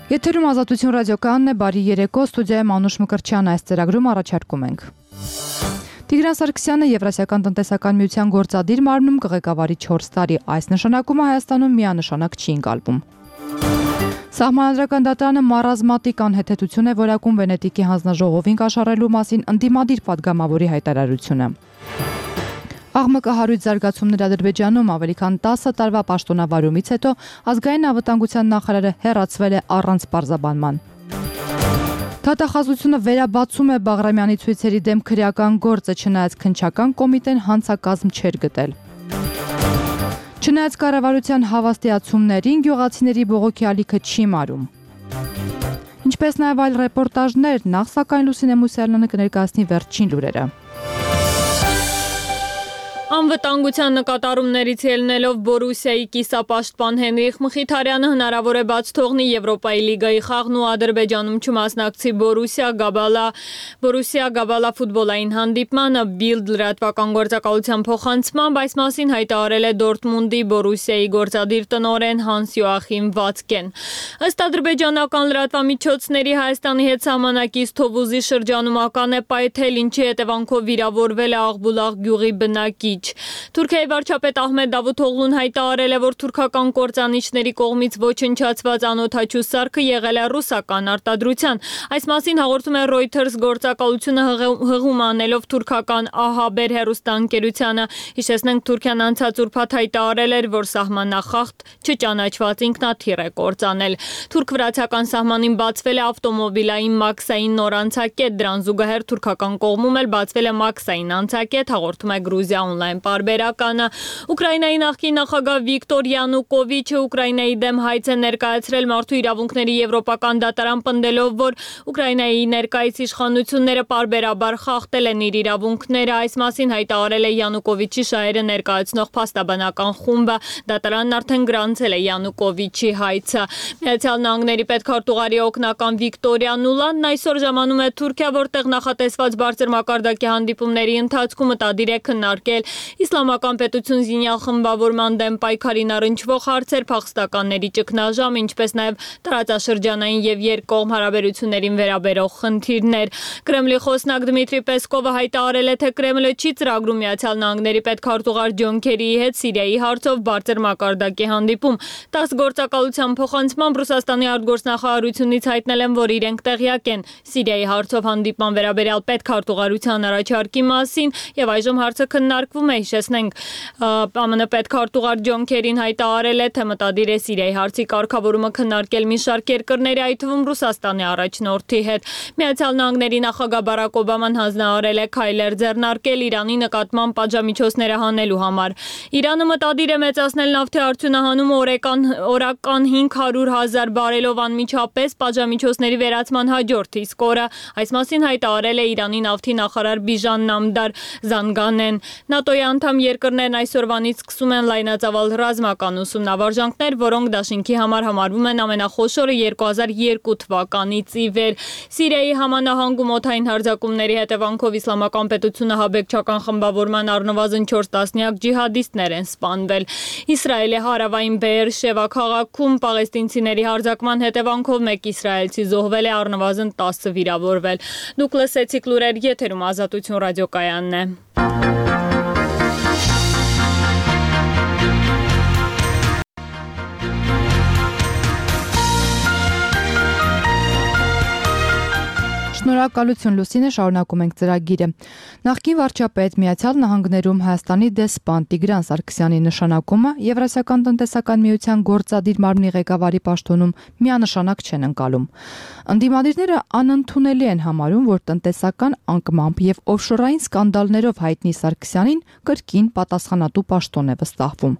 Եթերում Ազատություն ռադիոկայանն է, բարի երեկո, ստուդիայում Անուշ Մկրտչյանն այս ծրագրում առաջարկում ենք։ Տիգրան Սարգսյանը Եվրասիական տնտեսական միության գործադիր մարմնում կղեկավարի 4 տարի, այս նշանակումը Հայաստանում միանշանակ չի ընկալվում։ Սահմանադրական դատարանը մարազմատիկ անհեթեթություն է որակում Վենետիկի հանձնաժողովին կաշառելու մասին ընդդիմադիր պատգամավորի հայտարարությունը։ Աղմկը հարույց զարգացումներ Ադրբեջանում ավելի քան 10 տարվա պաշտոնավարումից հետո ազգային անվտանգության նախարարը հեռացվել է առանց պարզաբանման։ Դատախազությունը վերաբացում է Բաղրամյանի ցույցերի դեմ քրեական գործը, չնայած քննչական կոմիտեն հանցակազմ չէր գտել։ Չնայած կառավարության հավաստիացումներին գյուղացիների բողոքի ալիքը չի մարում։ Ինչպես նաև այլ ռեպորտաժներ, նախ սակայն Լուսինե Մուսյանը կներկայացնի վերջին լուրերը։ Անվտանգության նկատառումներից ելնելով Բորուսիայի կիսապաշտպան Հենրիխ Մխիթարյանը հնարավոր է բաց թողնի Եվրոպայի լիգայի խաղն ու Ադրբեջանում չմասնակցի Բորուսիա Գաբալա ֆուտբոլային հանդիպմանը Bild լրատվական գործակալության փոխանցմամբ այս մասին հայտարարել է Դորտմունդի Բորուսիայի գործադիր տնօրեն Հանս Յոախիմ Վացկեն։ Ըստ ադրբեջանական լրատվամիջոցների Հայաստանի հետ սահմանակից Թովուզի շրջանում ական է պայթել, ինչի հետևանքով վիրավորվել է Աղբուլաղ գյուղի բնակիչ։ Թուրքիայի վարչապետ Ահմեդ Դավութօղլուն հայտարարել է, որ թուրքական կործանիչների կողմից ոչնչացված անօդաչու սարքը եղել է ռուսական արտադրության։ Այս մասին հաղորդում է Reuters գործակալությունը հղում անելով թուրքական ԱՀԲ հեռուստաընկերությանը։ Հիշեցնենք, Թուրքիան անցած ուրբաթ հայտարարել էր, որ սահմանախախտ չճանաչված ինքնաթիռ է կործանել։ Թուրք-վրացական սահմանին բացվել է ավտոմոբիլային մաքսային նոր անցակետ, դրան զուգահեռ թուրքական կողմում էլ բացվել է մաքսային անցակետ, հաղորդում է Գրուզիա օնլայն պարբերականը։ Ուկրաինայի նախկին նախագահ Վիկտոր Յանուկովիչը Ուկրաինայի դեմ հայց է ներկայացրել մարդու իրավունքների եվրոպական դատարան, պնդելով, որ Ուկրաինայի ներկայիս իշխանությունները պարբերաբար խախտել են իր իրավունքները։ Այս մասին հայտարարել է Յանուկովիչի շահերը ներկայացնող փաստաբանական խումբը։ Դատարանն արդեն գրանցել է Յանուկովիչի հայցը։ Միացյալ Նահանգների պետքարտուղարի օգնական Վիկտորիա Նուլանն այսօր ժամանում է Թուրքիա, որտեղ նախատեսված բարձր մակարդակի հանդիպումների ընթացքում մտադիր է քննարկել իսլամական պետություն զինյալ խմբավորման դեմ պայքարին առնչվող հարցեր, փախստականների ճգնաժամ, ինչպես նաև տարածաշրջանային եւ երկկողմ հարաբերություններին վերաբերող խնդիրներ։ Կրեմլի խոսնակ Դմիտրի Պեսկովը հայտարարել է, թե Կրեմլը չի ծրագրում Միացյալ Նահանգների պետքարտուղար Ջոն Քերիի հետ Սիրիայի հարցով բարձր մակարդակի հանդիպում։ ՏԱՍՍ գործակալության փոխանցմամբ Ռուսաստանի արտգործնախարարությունից հայտնել են, որ իրենք տեղյակ են Սիրիայի հարցով հանդիպման վերաբերյալ պետքարտուղարության առաջարկի մասին եւ այժմ հարցը քննարկվում է։ Հիշեցնենք, ԱՄՆ պետքարտուղար Ջոն Քերին հայտարարել է, թե մտադիր է Սիրիայի հարցի կարգավորումը քննարկել մի շարք երկրների, այդ թվում Ռուսաստանի առաջնորդի հետ։ Միացյալ Նահանգների նախագահ Բարակ Օբաման հանձնարարել է քայլեր ձեռնարկել Իրանի նկատմամբ պատժամիջոցները հանելու համար։ Իրանը մտադիր է մեծացնել նավթի արդյունահանումը օրական 500,000 բարելով անմիջապես պատժամիջոցների վերացման հաջորդ իսկ օրը։ Այս մասին հայտարարել է Իրանի նավթի նախարար Բիժան Նամդար Զանգանեն։ ՆԱՏՕ-ի անդամ երկրներն այսօրվանից սկսում են լայնածավալ ռազմական ուսումնավարժանքներ, որոնք դաշինքի համար համարվում են ամենախոշորը 2002 թվականից ի վեր։ Սիրիայի Համանահանգում օդային հարձակումների հետևանքով Իսլամական պետությունը հաբեկչական խմբավորման առնվազն 4 տասնյակ ջիհադիստներ են սպանվել։ Իսրայելի հարավային Բեեր-Շևա քաղաքում պաղեստինցիների հարձակման հետևանքով մեկ իսրայելցի զոհվել է, առնվազն 10 վիրավորվել։ Դուք լսեցիք լուրեր, եթերում Ազատություն ռադիոկայանն է։ Շնորհակալություն Լուսինե, շարունակում ենք ծրագիրը։ Նախկին վարչապետ Միացյալ Նահանգներում Հայաստանի դեսպան Տիգրան Սարգսյանի նշանակումը Եվրասիական տնտեսական միության գործադիր մարմնի ղեկավարի պաշտոնում միանշանակ չեն ընկալում։ Ընդդիմադիրները անընդունելի են համարում, որ տնտեսական անկմամբ եւ օֆշորային սկանդալներով հայտնի Սարգսյանին կրկին պատասխանատու պաշտոն է վստահվում։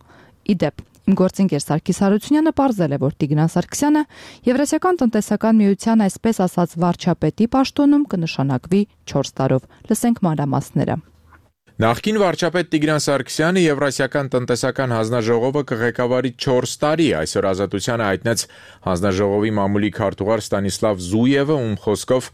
Իդեպ Իմ գործընկեր Սարգիս Հարությունյանը պարզել է, որ Տիգրան Սարգսյանը Եվրասիական տնտեսական միության այսպես ասած վարչապետի պաշտոնում կնշանակվի 4 տարով։ Լսենք մանրամասները։ Նախկին վարչապետ Տիգրան Սարգսյանը Եվրասիական տնտեսական հանձնաժողովը կղեկավարի 4 տարի, այսօր Ազատությանը հայտնեց հանձնաժողովի մամուլի քարտուղար Ստանիսլավ Զույևը, ում խոսքով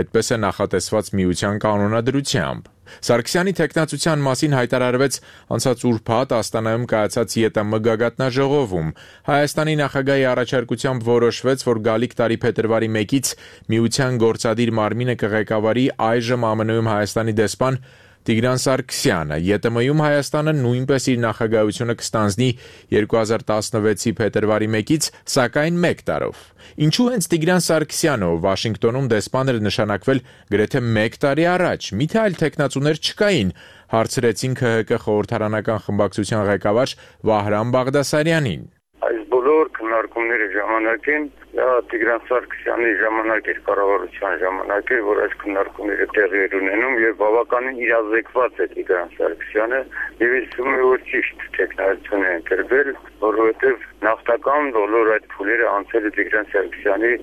այդպես է նախատեսված միության կանոնադրությամբ։ Սարգսյանի թեկնածության մասին հայտարարվեց անցած ուրբաթ Աստանայում կայացած ԵՏՄ գագաթնաժողովում։ Հայաստանի նախագահի առաջարկությամբ որոշվեց, որ գալիք տարի փետրվարի 1-ից միության գործադիր մարմինը կղեկավարի այժմ ԱՄՆ-ում Հայաստանի դեսպան Տիգրան Սարգսյանը։ ԵՏՄ-ում Հայաստանը նույնպես իր նախագահությունը կստանձնի 2016-ի փետրվարի 1-ից, սակայն 1 տարով։ Ինչու հենց Տիգրան Սարգսյանը, ով Վաշինգտոնում դեսպան էր նշանակվել գրեթե 1 տարի առաջ, միթե այլ թեկնածուներ չկային, հարցրեցին ՔՀԿ խորհրդարանական խմբակցության ղեկավար Վահրամ Բաղդասարյանին։ Այս բոլոր քննարկումների ժամանակին Տիգրան Սարգսյանի ժամանակ էր, կառավարության ժամանակ էր, որ այս քննարկումները տեղի էր ունենում եւ բավականին իրազեկված է Տիգրան Սարգսյանը եւ ես թվում է, որ ճիշտ տեխնոլոգիան է ընտրվել, որովհետեւ նախնական բոլոր այդ փուլերը անցել է Տիգրան Սարգսյանի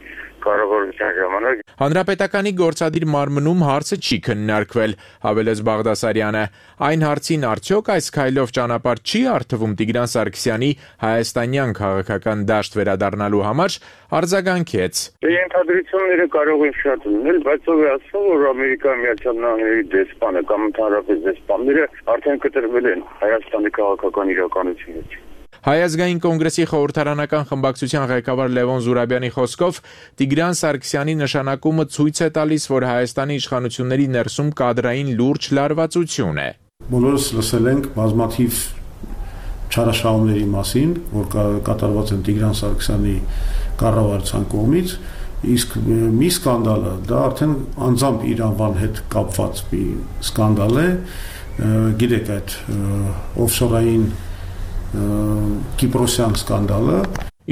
կառավարության ժամանակ։ Հանրապետականի գործադիր մարմնում հարցը չի քննարկվել, հավելեց Բաղդասարյանը։ Այն հարցին արդյոք այս քայլով ճանապարհ չի արդվում Տիգրան Սարգսյանի հայաստանյան քաղաքական դաշտ վերադառնալու համար, արձագանքեց։ Ենթադրությունները կարող են շատ լինել, բայց ով է ասում, որ Ամերիկայի Միացյալ Նահանգների դեսպանը կամ ընդհանրապես դեսպանները արդեն կտրվել են Հայաստանի քաղաքական իրականությունից։ Հայ ազգային կոնգրեսի խորհրդարանական խմբակցության ղեկավար Լևոն Զուրաբյանի խոսքով Տիգրան Սարգսյանի նշանակումը ցույց է տալիս, որ Հայաստանի իշխանությունների ներսում կադրային լուրջ լարվածություն է։ Բոլորս լսել ենք բազմաթիվ չարաշահումների մասին, որ կատարված են Տիգրան Սարգսյանի կառավարության կողմից, իսկ մի սկանդալը դա արդեն անձամբ իր անվան հետ կապված մի սկանդալ է, գիտեք այդ օֆշորային Կիպրոսյան սկանդալը։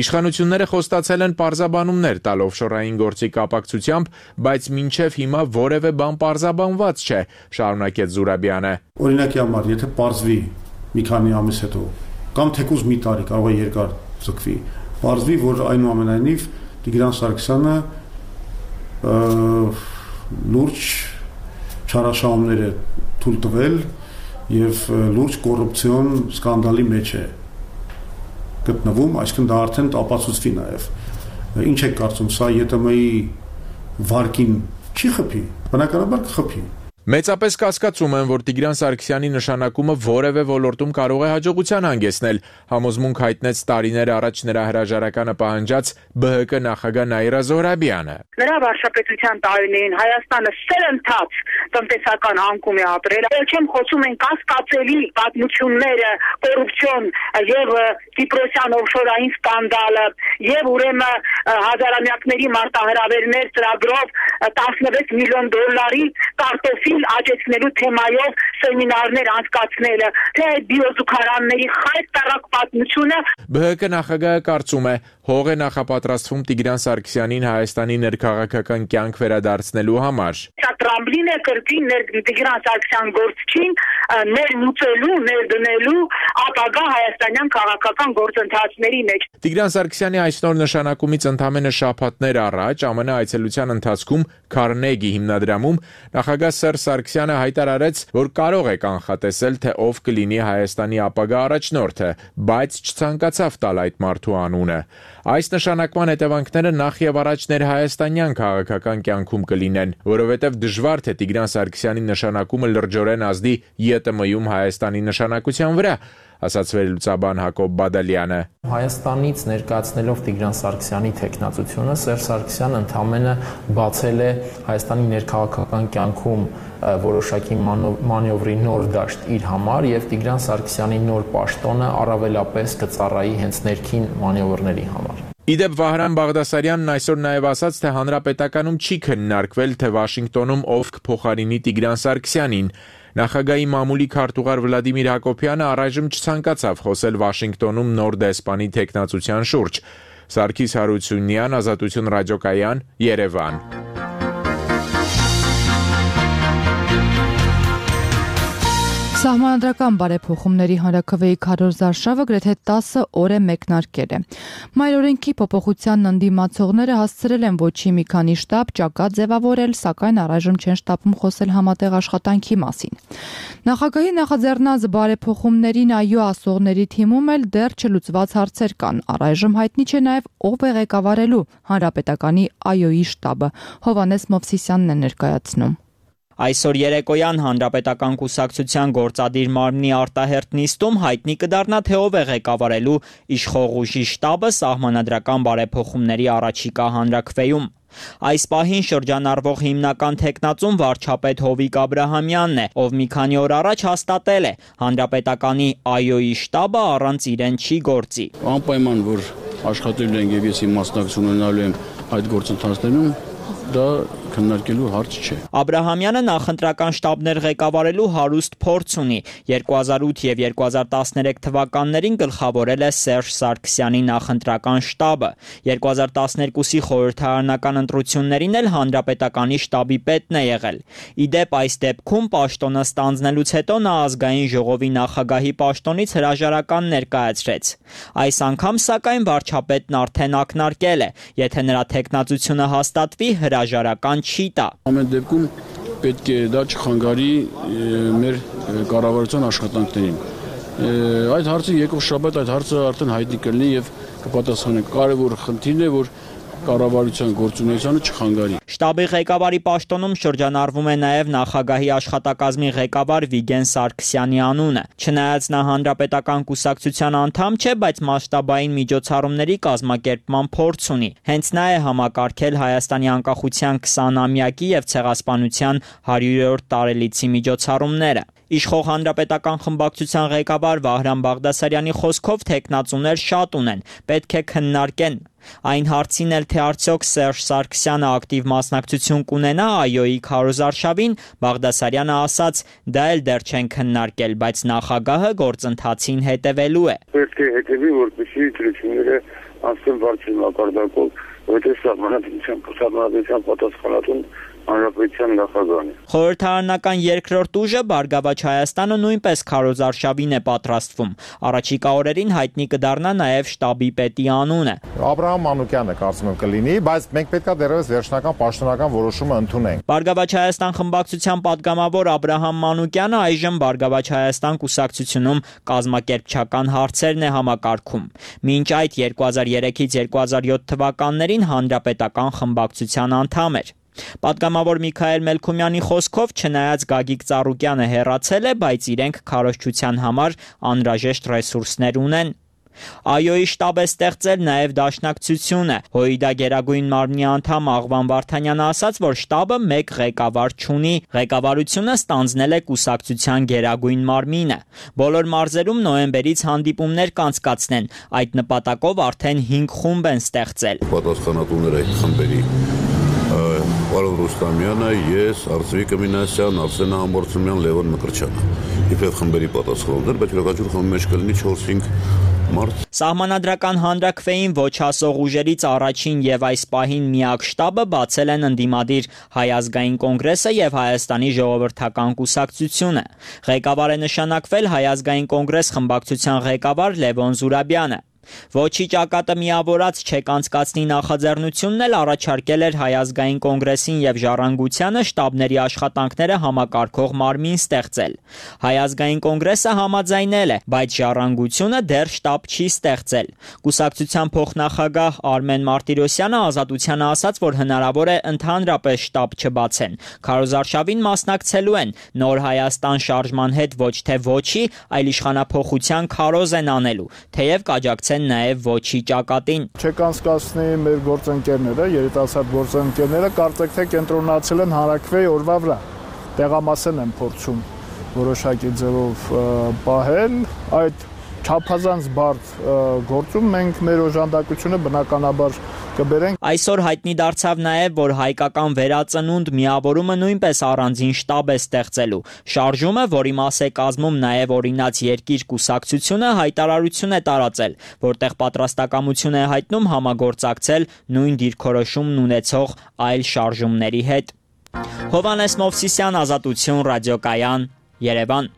Իշխանությունները խոստացել են պարզաբանումներ տալ օֆշորային գործի կապակցությամբ, բայց մինչև հիմա որևէ բան պարզաբանված չէ, շարունակեց Զուրաբյանը։ Օրինակի համար, եթե պարզվի մի քանի ամիս հետո, կամ թեկուզ մի տարի, կարող է երկար ձգվի, պարզվի, որ այնուամենայնիվ Տիգրան Սարգսյանը լուրջ չարաշահումներ է թույլ տվել եւ լուրջ կոռուպցիոն սկանդալի մեջ է գտնվում, այսինքն դա արդեն ապացուցվի նաեւ։ Ինչ եք կարծում, սա ԵՏՄ-ի վարկին չի խփի, բնականաբար կխփի։ Մեծապես կասկածում են, որ Տիգրան Սարգսյանի նշանակումը որևէ ոլորտում կարող է հաջողության հանգեցնել, համոզմունք հայտնեց տարիներ առաջ նրա հրաժարականը պահանջած ԲՀԿ նախագահ Նաիրա Զոհրաբյանը։ Նրա վարչապետության տարիներին Հայաստանը սերընթաց տնտեսական անկում է ապրել, ելչեմ խոսում են կասկածելի պատմությունները, կոռուպցիոն եւ Կիպրոսյան օֆշորային սկանդալը եւ ուրեմն հազարամյակների մարտահրավերներ ծրագրով 16 միլիոն դոլարի կարտոֆիլ աճեցնելու թեմայով սեմինարներ անցկացնելը, թե բիոզուգարանների խայտ տարակ պատմությունը։ ԲՀԿ նախագահը կարծում է, հող է նախապատրաստվում Տիգրան Սարգսյանին Հայաստանի ներքաղաքական կյանք վերադարձնելու համար։ Սա տրամբլին է կրկին Տիգրան Սարգսյան գործչին ներմուծելու, ներդնելու ապագա հայաստանյան քաղաքական գործընթացների մեջ։ Տիգրան Սարգսյանի այսօր նշանակումից ընդամենը շաբաթներ առաջ ԱՄՆ այցելության ընթացքում Քարնեգի հիմնադրամում նախագահ Սերժ Սարգսյանը հայտարարեց, որ կարող է կանխատեսել, թե ով կլինի Հայաստանի ապագա առաջնորդը, բայց չցանկացավ տալ այդ մարդու անունը։ Այս նշանակման հետևանքները նախ եւ առաջ ներհայաստանյան քաղաքական կյանքում կլինեն, որովհետեւ դժվար թե Տիգրան Սարգսյանի նշանակումը լրջորեն ազդի ԵՏՄ-ում Հայաստանի նշանակության վրա, ասաց վերլուծաբան Հակոբ Բադալյանը։ Հայաստանից ներկայացնելով Տիգրան Սարգսյանի թեկնածությունը Սերժ Սարգսյանը ընդամենը բացել է Հայաստանի ներքաղաքական կյանքում որոշակի մանևրի նոր դաշտ իր համար եւ Տիգրան Սարգսյանի նոր պաշտոնը առավելապես կծառայի հենց ներքին մանևրների համար։ Իդեպ Վահրամ Բաղդասարյանն այսօր նաև ասաց, թե հանրապետականում չի քննարկվել, թե Վաշինգտոնում ով կփոխարինի Տիգրան Սարգսյանին։ Նախագահի մամուլի քարտուղար Վլադիմիր Հակոբյանը առայժմ չցանկացավ խոսել Վաշինգտոնում նոր դեսպանի թեկնածության շուրջ։ Սարգիս Հարությունյան, Ազատություն ռադիոկայան, Երևան։ Սահմանադրական բարեփոխումների հանրաքվեի քարոզարշավը գրեթե 10 օր է մեկնարկել է։ Մայրօրենքի փոփոխությանն ընդդիմացողները հասցրել են ոչի մի քանի շտաբ ճակատ ձևավորել, սակայն առայժմ չեն շտապում խոսել համատեղ աշխատանքի մասին։ Նախագահի նախաձեռնած բարեփոխումներին այո ասողների թիմում էլ դեռ չլուծված հարցեր կան։ Առայժմ հայտնի չէ նաև ով է ղեկավարելու հանրապետականի այոյի շտաբը։ Հովհաննես Մովսիսյանն է ներկայացնում։ Այսօր երեկոյան Հանրապետական կուսակցության գործադիր մարմնի արտահերթ նիստում հայտնի կդառնա, թե ով է ղեկավարելու իշխող ուժի շտաբը սահմանադրական բարեփոխումների առաջիկա հանրաքվեում։ Այս պահին շրջանառվող հիմնական թեկնածուն վարչապետ Հովիկ Աբրահամյանն է, ով մի քանի օր առաջ հաստատել է Հանրապետականի ԱՅՈ-ի շտաբը առանց իրեն չի գործի։ Անպայման որ աշխատելու ենք եւ ես իմ մասնակցություն ունենալու եմ այդ գործընթացներում, դա քննարկելու հարց չէ։ Աբրահամյանը նախընտրական շտաբներ ղեկավարելու հարուստ փորձ ունի։ 2008 եւ 2013 թվականներին գլխավորել է Սերժ Սարգսյանի նախընտրական շտաբը։ 2012-ի խորհրդարանական ընտրություններին էլ Հանրապետականի շտաբի պետն է եղել։ Իդեպ այս դեպքում պաշտոնը ստանձնելուց հետո նա ազգային ժողովի նախագահի պաշտոնից հրաժարական ներկայացրեց։ Այս անգամ սակայն վարչապետն արդեն ակնարկել է, եթե նրա թեկնածությունը հաստատվի, հրաժարական չի տա։ Ամեն դեպքում պետք է դա չխանգարի մեր կառավարության աշխատանքներին։ Այդ հարցը եկող շաբաթ այդ հարցը արդեն հայտնի կլինի եւ կպատասխանենք։ Կարևոր խնդիրն է, որ կառավարության գործունեությանը չխանգարի։ Շտաբի ղեկավարի պաշտոնում շրջանառվում է նաև նախագահի աշխատակազմի ղեկավար Վիգեն Սարգսյանի անունը։ Չնայած նա Հանրապետական կուսակցության անդամ չէ, բայց մասշտաբային միջոցառումների կազմակերպման փորձ ունի։ Հենց նա է համակարգել Հայաստանի անկախության 20-ամյակի եւ ցեղասպանության 100-րդ տարելիցի միջոցառումները։ Իշխող Հանրապետական խմբակցության ղեկավար Վահրամ Բաղդասարյանի խոսքով թեկնածուներ շատ ունեն, պետք է քննարկեն։ Այն հարցին էլ, թե արդյոք Սերժ Սարգսյանը ակտիվ մասնակցություն կունենա ԱՅՈ-ի քարոզարշավին, Բաղդասարյանը ասաց, դա էլ դեռ չեն քննարկել, բայց նախագահը գործընթացին հետևելու է։ Պետք է հետևի, որպեսզի դրությունները անցնեն բարձր մակարդակով, որտեղ սահմանադրության պատասխանատուն Հանրապետության նախագահն է։ Խորհրդարանական երկրորդ ուժը Բարգավաճ Հայաստանը նույնպես քարոզարշավին է պատրաստվում։ Առաջիկա օրերին հայտնի կդառնա նաև շտաբի պետի անունը։ Աբրահամ Մանուկյանը կարծում եմ կլինի, բայց մենք պետքա դեռևս վերջնական պաշտոնական որոշումը ընդունենք։ Բարգավաճ Հայաստան խմբակցության падգամավոր Աբրահամ Մանուկյանը այժմ Բարգավաճ Հայաստան կուսակցությունում կազմակերպչական հարցերն է համակարգում։ Մինչ այդ 2003-ից 2007 թվականներին Հանրապետական խմբակցության անդամ էր։ Պատգամավոր Միքայել Մելքումյանի խոսքով չնայած Գագիկ Ծառուկյանը հեռացել է, բայց իրենք քարոզչության համար անհրաժեշտ ռեսուրսներ ունեն։ ԱՅՈ-ի շտաբ է ստեղծել նաև Դաշնակցությունը։ ՀՅԴ Գերագույն մարմնի անդամ Աղվան Վարդանյանը ասաց, որ շտաբը մեկ ղեկավար չունի։ Ղեկավարությունը ստանձնել է կուսակցության Գերագույն մարմինը։ Բոլոր մարզերում նոյեմբերից հանդիպումներ կանցկացնեն։ Այդ նպատակով արդեն 5 խումբ են ստեղծել։ Պատասխանատուները այդ խմբերի Պարոն Ռուստամյանը, ես, Արծվիկ Մինասյան, Արսեն Համբարձումյան, Լևոն Մկրտչյանը։ Իբրև խմբերի պատասխանատուներ, բայց յուրաքանչյուր խմբի մեջ կլինի 4-5 մարդ։ Սահմանադրական հանրաքվեին ոչ հասող ուժերից առաջին եւ այս պահին միակ շտաբը բացել են ընդդիմադիր Հայ ազգային կոնգրեսը եւ Հայաստանի ժողովրդական կուսակցությունը։ Ղեկավար է նշանակվել Հայ ազգային կոնգրես խմբակցության ղեկավար Լևոն Զուրաբյանը։ Ոչի ճակատը միավորած չեք անցկացնի նախաձեռնությունն էլ առաջարկել էր Հայ ազգային կոնգրեսին եւ Ժառանգությանը շտաբների աշխատանքները համակարգող մարմին ստեղծել։ Հայ ազգային կոնգրեսը համաձայնել է, բայց Ժառանգությունը դեռ շտաբ չի ստեղծել։ Կուսակցության փոխնախագահ Արմեն Մարտիրոսյանը Ազատությանը ասաց, որ հնարավոր է ընդհանրապես շտաբ չբացեն։ Քարոզարշավին մասնակցելու են Նոր Հայաստան շարժման հետ ոչ թե ոչի, այլ իշխանափոխության քարոզ են անելու, թեև կաջակցեն նաև ոչի ճակատին։ Չեք անցկացնի մեր գործընկերները, երիտասարդ գործընկերները կարծեք թե կենտրոնացել են հանրաքվեի օրվա վրա։ Տեղամասեն են փորձում որոշակի ձևով պահել, այդ չափազանց բարդ գործում մենք մեր օժանդակությունը բնականաբար կբերենք։ Այսօր հայտնի դարձավ նաև, որ հայկական վերածնունդ միավորումը նույնպես առանձին շտաբ է ստեղծելու։ Շարժումը, որի մաս է կազմում նաև օրինաց երկիր կուսակցությունը, հայտարարություն է տարածել, որտեղ պատրաստակամություն է հայտնում համագործակցել նույն դիրքորոշումն ունեցող այլ շարժումների հետ։ Հովհաննես Մովսիսյան, Ազատություն, ռադիոկայան, Երևան։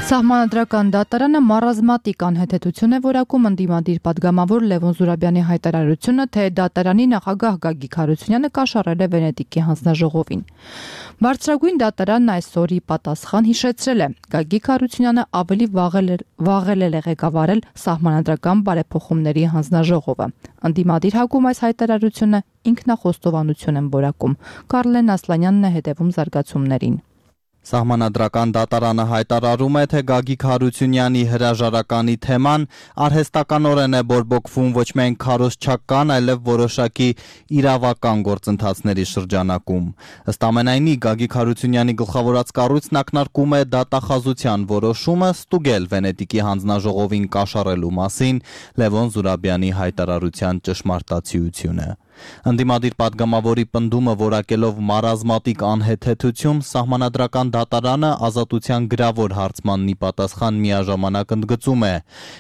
Սահմանադրական դատարանը մարազմատիկ անհեթեթություն է որակում ընդդիմադիր падգամավոր Լևոն Զուրաբյանի հայտարարությունը, թե դատարանի նախագահ Գագիկ Հարությունյանը կաշառել է Վենետիկի հանձնաժողովին։ Բարձրագույն դատարանն այսօրի պատասխան հիշեցրել է. Գագիկ Հարությունյանը ավելի վաղել է ղեկավարել սահմանադրական բարեփոխումների հանձնաժողովը։ Ընդդիմադիր հակում այս հայտարարությունը ինքնախոստովանություն են որակում։ Կարլեն Ասլանյանն է հետևում զարգացումներին։ Սահմանադրական դատարանը հայտարարում է, թե Գագիկ Հարությունյանի հրաժարականի թեման արհեստականորեն է բորբոքվում ոչ միայն քարոզչական, այլև որոշակի իրավական գործընթացների շրջանակում։ Ըստ ամենայնի, Գագիկ Հարությունյանի գլխավորած կառույցն ակնարկում է դատախազության որոշումը ստուգել Վենետիկի հանձնաժողովին կաշառելու մասին Լևոն Զուրաբյանի հայտարարության ճշմարտացիությունը։ Ընդդիմադիր պատգամավորի պնդումը որակելով մարազմատիկ անհեթեթություն, սահմանադրական դատարանը ազատության գրավոր հարցմաննի պատասխան միաժամանակ ընդգծում է,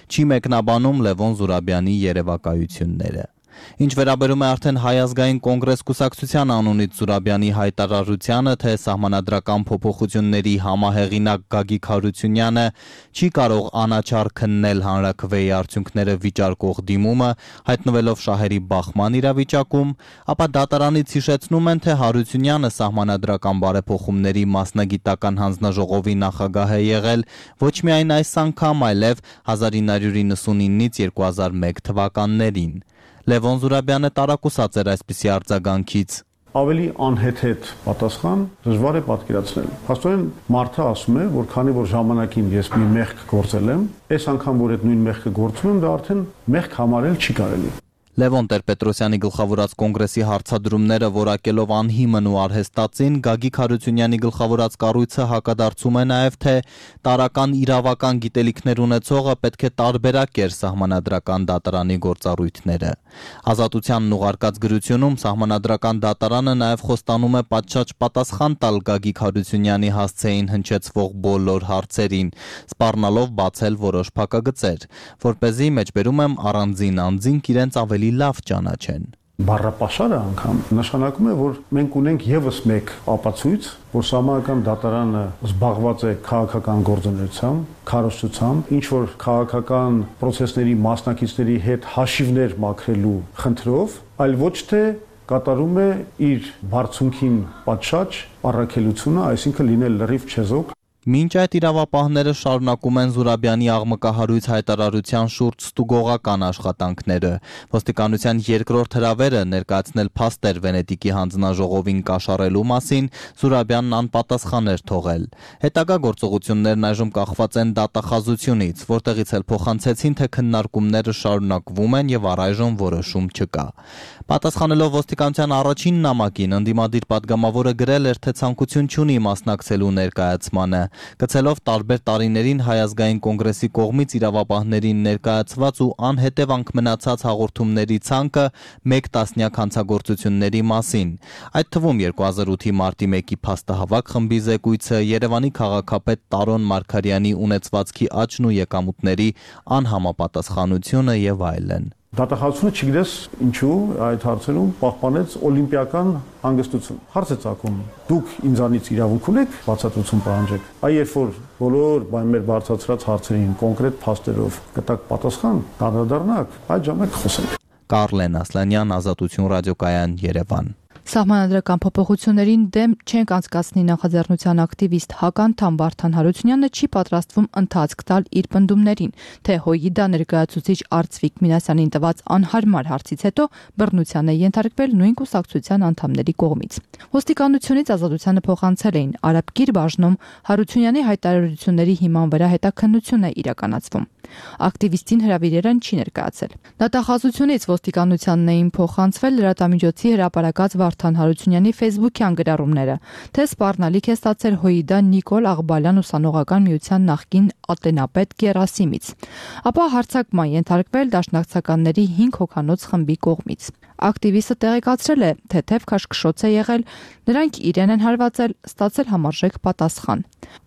չի մեկնաբանում Լևոն Զուրաբյանի երևակայությունները։ Ինչ վերաբերում է արդեն Հայ ազգային կոնգրես կուսակցության անունից Զուրաբյանի հայտարարությանը, թե սահմանադրական փոփոխությունների համահեղինակ Գագիկ Հարությունյանը չի կարող անաչառ քննել հանրաքվեի արդյունքները վիճարկող դիմումը, հայտնվելով շահերի բախման իրավիճակում, ապա դատարանից հիշեցնում են, թե Հարությունյանը սահմանադրական բարեփոխումների մասնագիտական հանձնաժողովի նախագահ է եղել ոչ միայն այս անգամ, այլև 1999-ից 2001 թվականներին։ Լևոն Զուրաբյանը տարակուսած էր այսպիսի արձագանքից։ Ավելի անհեթեթ պատասխան դժվար է պատկերացնել։ Փաստորեն մարդը ասում է, որ քանի որ ժամանակին ես մի մեղք գործել եմ, այս անգամ որ այդ նույն մեղքը գործում եմ, դա արդեն մեղք համարել չի կարելի։ Լևոն Տեր-Պետրոսյանի գլխավորած կոնգրեսի հարցադրումները որակելով անհիմն ու արհեստածին, Գագիկ Հարությունյանի գլխավորած կառույցը հակադարձում է նաև, թե տարական իրավական գիտելիքներ ունեցողը պետք է տարբերակեր սահմանադրական դատարանի գործառույթները։ Ազատությանն ուղարկած գրությունում սահմանադրական դատարանը նաև խոստանում է պատշաճ պատասխան տալ Գագիկ Հարությունյանի հասցեին հնչեցվող բոլոր հարցերին, սպառնալով բացել որոշ փակագծեր, որպեսզի մեջբերում եմ առանձին անձինք իրենց ավելի լավ ճանաչեն։ Բառապաշարը անգամ նշանակում է, որ մենք ունենք եւս մեկ ապացույց, որ սահմանադրական դատարանը զբաղված է քաղաքական գործունեությամբ, քարոզչությամբ, ինչ որ քաղաքական process-ների մասնակիցների հետ հաշիվներ մաքրելու խնդրով, այլ ոչ թե կատարում է իր բարձունքին պատշաճ առաքելությունը, այսինքն լինել լրիվ չեզոք։ Մինչ այդ իրավապահները շարունակում են Զուրաբյանի աղմկահարույց հայտարարության շուրջ ստուգողական աշխատանքները։ Ոստիկանության երկրորդ հրավերը ներկայացնել փաստեր Վենետիկի հանձնաժողովին կաշառելու մասին Զուրաբյանն անպատասխան էր թողել։ Հետագա գործողություններն այժմ կախված են դատախազությունից, որտեղից էլ փոխանցեցին, թե քննարկումները շարունակվում են եւ առայժմ որոշում չկա։ Պատասխանելով ոստիկանության առաջին նամակին, ընդդիմադիր պատգամավորը գրել էր, թե ցանկություն չունի մասնակցելու ներկայացմանը, գցելով տարբեր տարիներին Հայ ազգային կոնգրեսի կողմից իրավապահներին ներկայացված ու անհետևանք մնացած հաղորդումների ցանկը մեկ տասնյակ հանցագործությունների մասին, այդ թվում 2008-ի մարտի 1-ի փաստահավաք խմբի զեկույցը, Երևանի քաղաքապետ Տարոն Մարգարյանի ունեցվածքի աճն ու եկամուտների անհամապատասխանությունը եւ այլն։ Դատախազությունը չգիտես ինչու այդ հարցերում պահպանեց օլիմպիական հանգստություն։ Հարց է ծագում. դուք ինձանից իրավունք ունեք բացատրություն պահանջեք։ Այ երբ որ բոլոր մեր բարձրացրած հարցերին կոնկրետ փաստերով կտակ պատասխան, կանդրադառնաք, այդ ժամանակ խոսենք։ Կարլեն Ասլանյան, Ազատություն ռադիոկայան, Երևան։ Սահմանադրական փոփոխություններին դեմ չենք անցկացնի նախաձեռնության ակտիվիստ հականդամ Վարդան Հարությունյանը չի պատրաստվում ընթացք տալ իր պնդումներին, թե ՀՅԴ ներկայացուցիչ Արծվիկ Մինասյանին տված անհարմար հարցից հետո բռնության է ենթարկվել նույն կուսակցության անդամների կողմից։ Ոստիկանությունից Ազատությանը փոխանցել էին Արաբկիր բաժնում Հարությունյանի հայտարարությունների հիման վրա հետաքննություն է իրականացվում։ Ակտիվիստին հրավիրելն չի ներկայացել։ Դատախազությունից ոստիկանությանն էին փոխանցվել լրատվամիջոցի հրապարակած Վարդան Հարությունյանի Facebook-յան գրառումները, թե սպառնալիք է ստացել ՀՅԴ Նիկոլ Աղբալյան ուսանողական միության նախկին ատենապետ Գերասիմից, ապա հարձակման ենթարկվել դաշնակցականների 5 հոգանոց խմբի կողմից։ Ակտիվիստը տեղեկացրել է, թե թեթև քաշքշոց է եղել, նրանք իրեն են հարվածել, ստացել համարժեք պատասխան։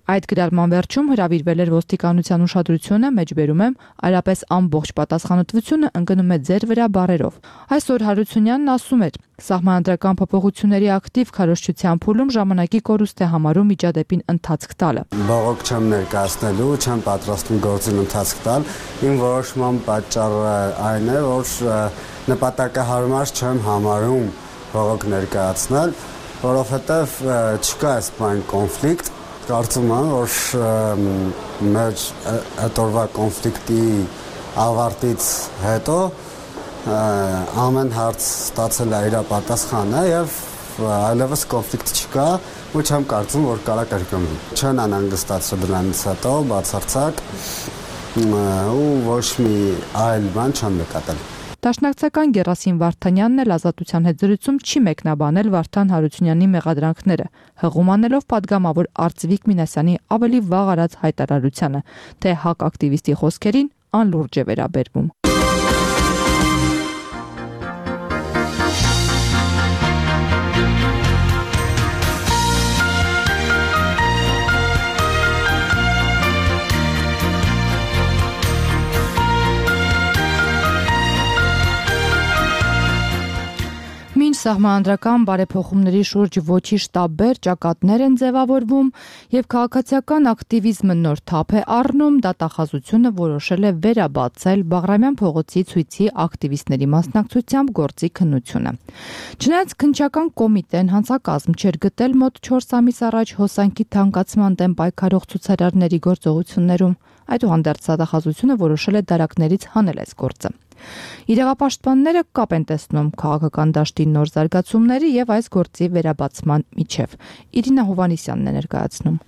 Այդ գրառման վերջում հրավիրվել էր ոստիկանության ուշադրությունը, մեջբերում եմ, այլապես ամբողջ պատասխանատվությունը ընկնում է ձեր վրա բառերով։ Այսօր Հարությունյանն ասում էր. Սահմանադրական փոփոխությունների ակտիվ քարոզչության փուլում ժամանակի կորուստ է համարում միջադեպին ընթացք տալը։ Բողոք չեմ ներկայացնելու, չեմ պատրաստվում գործին ընթացք տալ։ Իմ որոշման պատճառը այն է, որ նպատակահարմար չեմ համարում բողոք ներկայացնել, որովհետև չկա այս բան կոնֆլիկտ, կարծում եմ, որ մեր հետորվա կոնֆլիկտի ավարտից հետո ամեն հարց ստացել է իր պատասխանը եւ այլևս կոնֆլիկտ չկա ու չեմ կարծում, որ կարա կրկնվի։ Չեն անհանգստացրել դրանից հետո բացարձակ ու ոչ մի այլ բան չեմ նկատել։ Դաշնակցական Գերասիմ Վարդանյանն էլ Ազատության հետ զրույցում չի մեկնաբանել Վարդան Հարությունյանի մեղադրանքները, հղում անելով պատգամավոր Արծվիկ Մինասյանի ավելի վաղ արած հայտարարությանը, թե ՀԱԿ ակտիվիստի խոսքերին անլուրջ է վերաբերվում։ Մինչ սահմանադրական բարեփոխումների շուրջ ոչի շտաբեր ճակատներ են ձևավորվում եւ քաղաքացիական ակտիվիզմը նոր թափ է առնում, դատախազությունը որոշել է վերաբացել Բաղրամյան փողոցի ցույցի ակտիվիստների մասնակցությամբ գործի քննությունը։ Չնայած քննչական կոմիտեն հանցակազմ չէր գտել մոտ 4 ամիս առաջ հոսանքի թանկացման դեմ պայքարող ցուցարարների գործողություններում, այդուհանդերձ դատախազությունը որոշել է դարակներից հանել այս գործը։ Իրավապաշտպանները կապ են տեսնում քաղաքական դաշտի նոր զարգացումների եւ այս գործի վերաբացման միջև։ Իրինա Հովանիսյանն է ներկայացնում։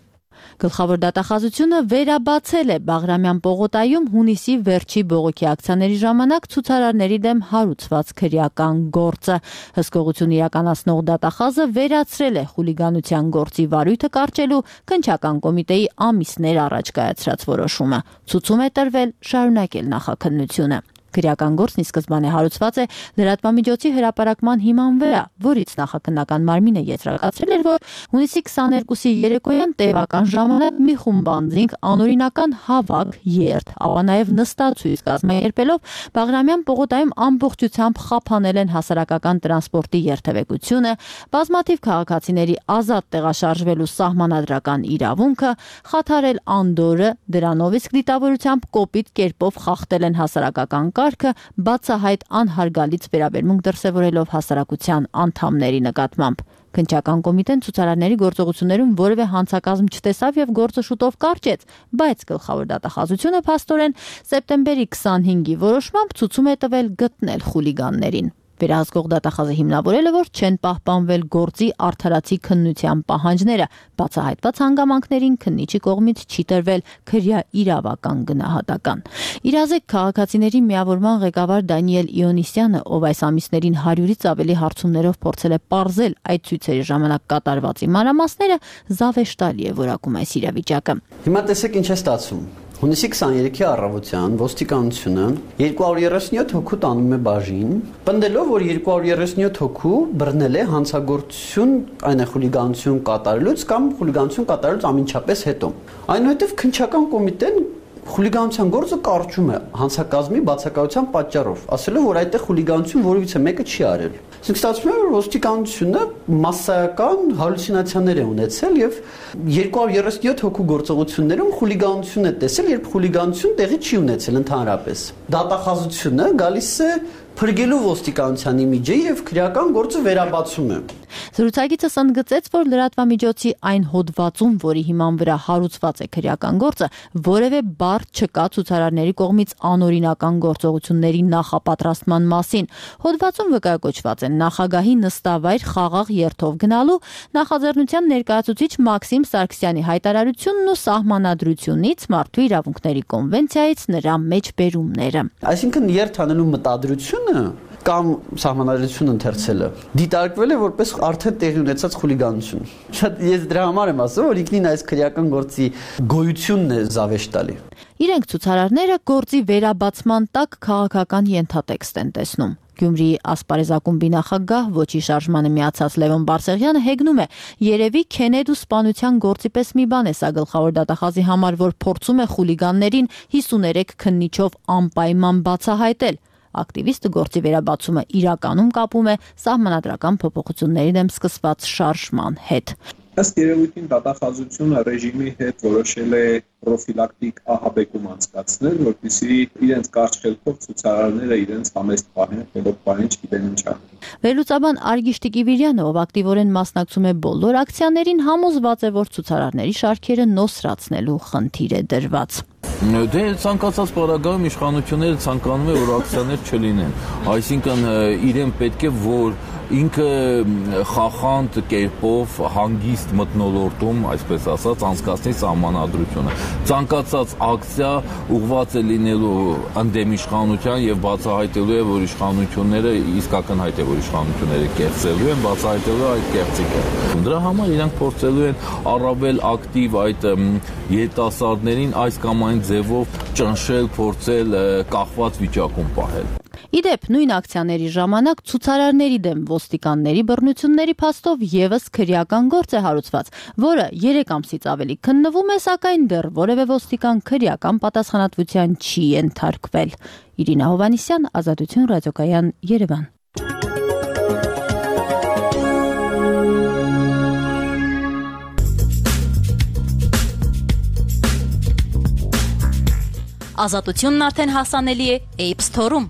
Գլխավոր դատախազությունը վերաբացել է Բաղրամյան պողոտայում հունիսի վերջի բողոքի ակցիաների ժամանակ ցուցարարների դեմ հարուցված քրեական գործը։ Հսկողություն իրականացնող դատախազը վերացրել է խուլիգանության գործի վարույթը կարճելու քննչական կոմիտեի ամիսներ առաջ կայացրած որոշումը։ Ցուցում է տրվել շարունակել նախաքննությունը։ Քրեական գործն ի սկզբանե հարուցված է լրատվամիջոցի հրապարակման հիման վրա, որից նախաքննական մարմինը եզրակացրել էր, որ հունիսի 22-ի երեկոյան տևական ժամանակ մի խումբ անձինք անօրինական հավաք, երթ, ապա նաև նստացույց կազմակերպելով Բաղրամյան պողոտայում ամբողջությամբ խափանել են հասարակական տրանսպորտի երթևեկությունը, բազմաթիվ քաղաքացիների ազատ տեղաշարժվելու սահմանադրական իրավունքը, խաթարել անդորը, դրանով իսկ դիտավորությամբ կոպիտ կերպով խախտել են հասարակական կարգը, բացահայտ անհարգալից վերաբերմունք դրսևորելով հասարակության անդամների նկատմամբ։ Քննչական կոմիտեն ցուցարարների գործողություններում որևէ հանցակազմ չտեսավ եւ գործը շուտով կարճեց, բայց գլխավոր դատախազությունը փաստորեն սեպտեմբերի 25-ի որոշմամբ ցուցում է տվել գտնել խուլիգաններին։ Վերահսկող դատախազը հիմնավորել է, որ չեն պահպանվել գործի արդարացի քննության պահանջները, բացահայտված հանգամանքներին քննիչի կողմից չի տրվել քրյա իրավական գնահատական։ Իրազեկ քաղաքացիների միավորման ղեկավար Դանիել Իոնիսյանը, ով այս ամիսներին 100-ից ավելի հարցումներով փորձել է պարզել այդ ցույցերի ժամանակ կատարված մանրամասները, զավեշտալի է որակում այս իրավիճակը։ Հիմա տեսեք ինչ է ստացվում։ Հունիսի 23-ի առավոտյան ոստիկանությունը 237 հոգու տանում է բաժին, պնդելով, որ 237 հոգու բռնել է հանցագործություն, այն է խուլիգանություն կատարելուց կամ խուլիգանություն կատարելուց ամենչապես հետո։ Այնուհետև քննչական կոմիտեն խուլիգանության գործը կարճում է հանցակազմի բացակայության պատճառով, ասելով, որ այդտեղ խուլիգանություն որևիցե մեկը չի արել։ Իսկ ստացվում է, որ ոստիկանությունը մասսայական հալյուցինացիաներ է ունեցել եւ 237 հոգու գործողություններում խուլիգանություն է տեսել, երբ խուլիգանություն տեղի չի ունեցել ընդհանրապես։ Դատախազությունը գալիս է փրկելու ոստիկանությանի միջի եւ քրեական գործը վերաբացում է։ Զրուցակիցս ընդգծեց, որ լրատվամիջոցի այն հոդվածում, որի հիման վրա հարուցված է քրեական գործը, որևէ բառ չկա ցուցարարների կողմից անօրինական գործողությունների նախապատրաստման մասին։ Հոդվածում վկայակոչված են նախագահի նստավայր խաղաղ երթով գնալու, նախաձեռնության ներկայացուցիչ Մաքսիմ Սարգսյանի հայտարարությունն ու սահմանադրությունից մարդու իրավունքների կոնվենցիայից նրա մեջբերումները։ Այսինքն երթ անելու մտադրությունը կամ սահմանադրություն ընթերցելը դիտարկվել է որպես արդեն տեղի ունեցած խուլիգանություն։ Շատ ես դրա համար եմ ասում, որ ինքնին այս քրեական գործի գոյությունն է զավեշտալի։ Իրենք ցուցարարները գործի վերաբացման տակ քաղաքական ենթատեքստ են տեսնում։ Գյումրիի ասպարեզակումբի նախագահ ոչի շարժմանը միացած Լևոն Բարսեղյանը հեգնում է. երևի քենեդ ու սպանության գործի պես մի բան է սա գլխավոր դատախազի համար, որ փորձում է խուլիգաններին 53 քննիչով անպայման բացահայտել։ Ակտիվիստը գործի վերաբացումը իրականում կապում է սահմանադրական փոփոխությունների դեմ սկսված շարժման հետ։ Ըստ երևույթին դատախազությունը ռեժիմի հետ որոշել է պրոֆիլակտիկ ահաբեկում անցկացնել, որպեսզի իրենց կարճ խելքով ցուցարարները իրենց համեստ պահեն, խելոք պահեն, չգիտեն ինչա։ Վերլուծաբան Արգիշ Տիկիվիրյանը, ով ակտիվորեն մասնակցում է բոլոր ակցիաներին, համոզված է, որ ցուցարարների շարքերը նոսրացնելու խնդիր է դրված։ Դե ցանկացած պարագայում իշխանությունները ցանկանում են, որ ակցիաներ չլինեն, այսինքն իրեն պետք է որ ինքը խախանդ կերպով հանգիստ մթնոլորտում, այսպես ասած, անցկացնի սահմանադրությունը։ Ցանկացած ակցիա ուղղված է լինելու ընդդեմ իշխանության եւ բացահայտելու է, որ իշխանությունները իսկական հայտ է, որ իշխանությունները կեղծելու են, բացահայտելու այդ կեղծիքը։ Դրա համար իրանք փորձելու են առավել ակտիվ այդ երիտասարդներին այս կամ այն ձևով ճնշել, փորձել կախված վիճակում պահել։ Իդեպ նույն ակցիաների ժամանակ ցուցարարների դեմ ոստիկանների բռնությունների փաստով եւս քրեական գործ է հարուցված, որը 3 ամսից ավելի քննվում է, սակայն դեռ որևէ ոստիկան քրեական պատասխանատվության չի ենթարկվել։ Իրինա Հովանիսյան, Ազատություն ռադիոկայան, Երևան։ Ազատությունն արդեն հասանելի է App Store-ում։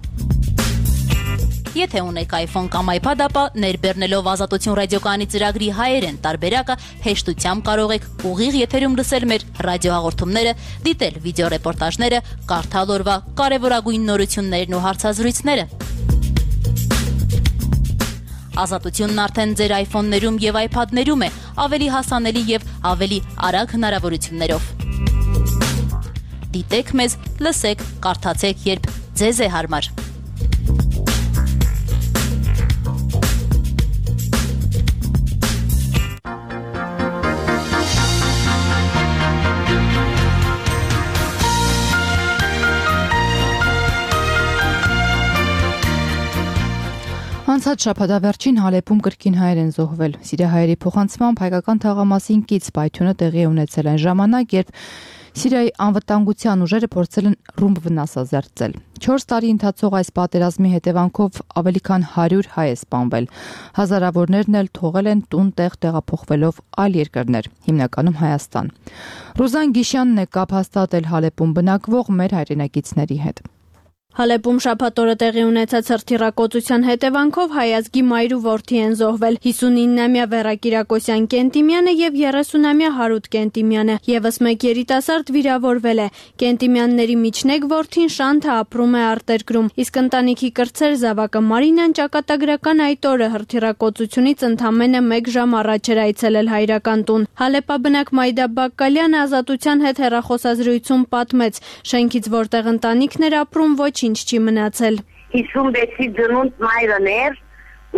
Եթե ունեք iPhone կամ iPad, ապա ներբեռնելով Ազատություն ռադիոկայանի ծրագրի հայերեն տարբերակը հեշտությամբ կարող եք ուղիղ եթերում լսել մեր ռադիոհաղորդումները, դիտել վիդեոռեպորտաժները, կարդալ օրվա կարևորագույն նորություններն ու հարցազրույցները։ Ազատությունն արդեն ձեր iPhone-ներում եւ iPad-ներում է, ավելի հասանելի եւ ավելի արագ հնարավորություններով։ Դիտեք մեզ, լսեք, կարդացեք, երբ ձեզ է հարմար։ Անցած շաբաթավերջին Հալեպում կրկին հայեր են զոհվել։ Սիրիահայերի փոխանցմամբ հայկական թաղամասին կից պայթյունը տեղի ունեցել այն ժամանակ, երբ Սիրիայի անվտանգության ուժերը փորձել են ռումբ վնասազերծել։ 4 տարի ընթացող այս պատերազմի հետևանքով ավելի քան 100 հայ է սպանվել։ Հազարավորներն էլ թողել են տուն-տեղ տեղափոխվելով այլ երկրներ, հիմնականում Հայաստան։ Ռուզան Գիշյանն է կապ հաստատել Հալեպում բնակվող մեր հայրենակիցների հետ։ Հալեպում շաբաթօրը տեղի ունեցած հրթիռակոծության հետևանքով հայազգի մայր ու որդի են զոհվել 59-ամյա Վերա Կիրակոսյան Կենտիմյանը եւ 30-ամյա Հարութ Կենտիմյանը, եւս մեկ երիտասարդ վիրավորվել է։ Կենտիմյանների միջնեկ որդին Շանթը ապրում է արտերկրում, իսկ ընտանիքի կրտսեր զավակը Մարինան ճակատագրական այդ օրը հրթիռակոծությունից ընդամենը 1 ժամ առաջ էր այցելել հայրական տուն։ Հալեպաբնակ Մայդա Բակկալյանը Ազատության հետ հեռախոսազրույցում պատմեց, շենքից որտեղ ընտանիքն էր ապրում ինչ չի մնացել։ 56-ի ծնունդ մայրն էր,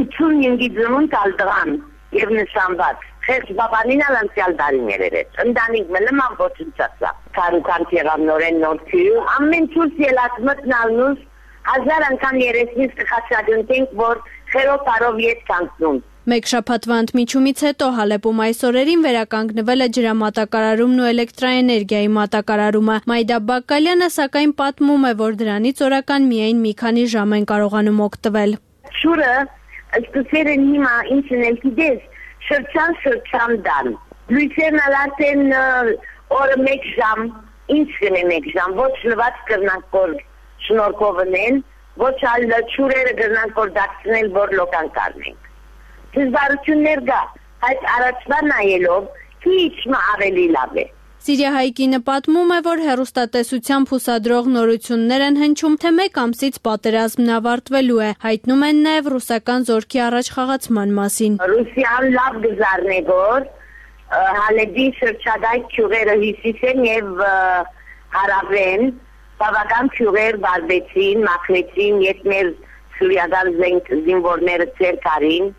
85-ի ծնունդ ալդրան եւ նշանված։ Խես բաբանին անցյալ դարիներ էր։ Ընտանիք մնամ ոչնչացա։ Քարուքան եղավ նորեն նորքի, ամեն ցույց ելած մտնալնուս 1000 անգամ երեսնից կխաչադունենք, որ խերո տարով ետ կանցնում։ Մեկ շաբաթվա ընդմիջումից հետո Հալեպում այս օրերին վերականգնվել է ջրամատակարարումն ու էլեկտրաէներգիայի մատակարարումը։ Մայդա Բակկալյանը սակայն պատմում է, որ դրանից օրական միայն մի քանի ժամ են կարողանում օգտվել։ Շուրը սկսել են հիմա ինչն էլ գիտես, շրջան դան։ Լույսերն արդեն օրը 1 ժամ, ինչ կնե 1 ժամ, ոչ լված կրնանք որ շնորհքովն ոչ այլ շուրերը կրնանք որ դարձնել որ լոկան կարնենք։ Դժվարություններ կա, այդ առաջվա նայելով քիչ ավելի լավ է։ Սիրիահայկինը պատմում է, որ հեռուստատեսությամբ հուսադրող նորություններ են հնչում, թե 1 ամսից պատերազմն ավարտվելու է։ Հայտնում են նաև ռուսական զորքի առաջխաղացման մասին։ Ռուսիան լավ գզարն է, որ Հալեպի շրջակայք քյուղերը հյուսիսեն եւ հարավեն բավական քյուղեր վարվեցին, մաքրեցին, երբ մեր սուրիական զինվորները ցեր կարին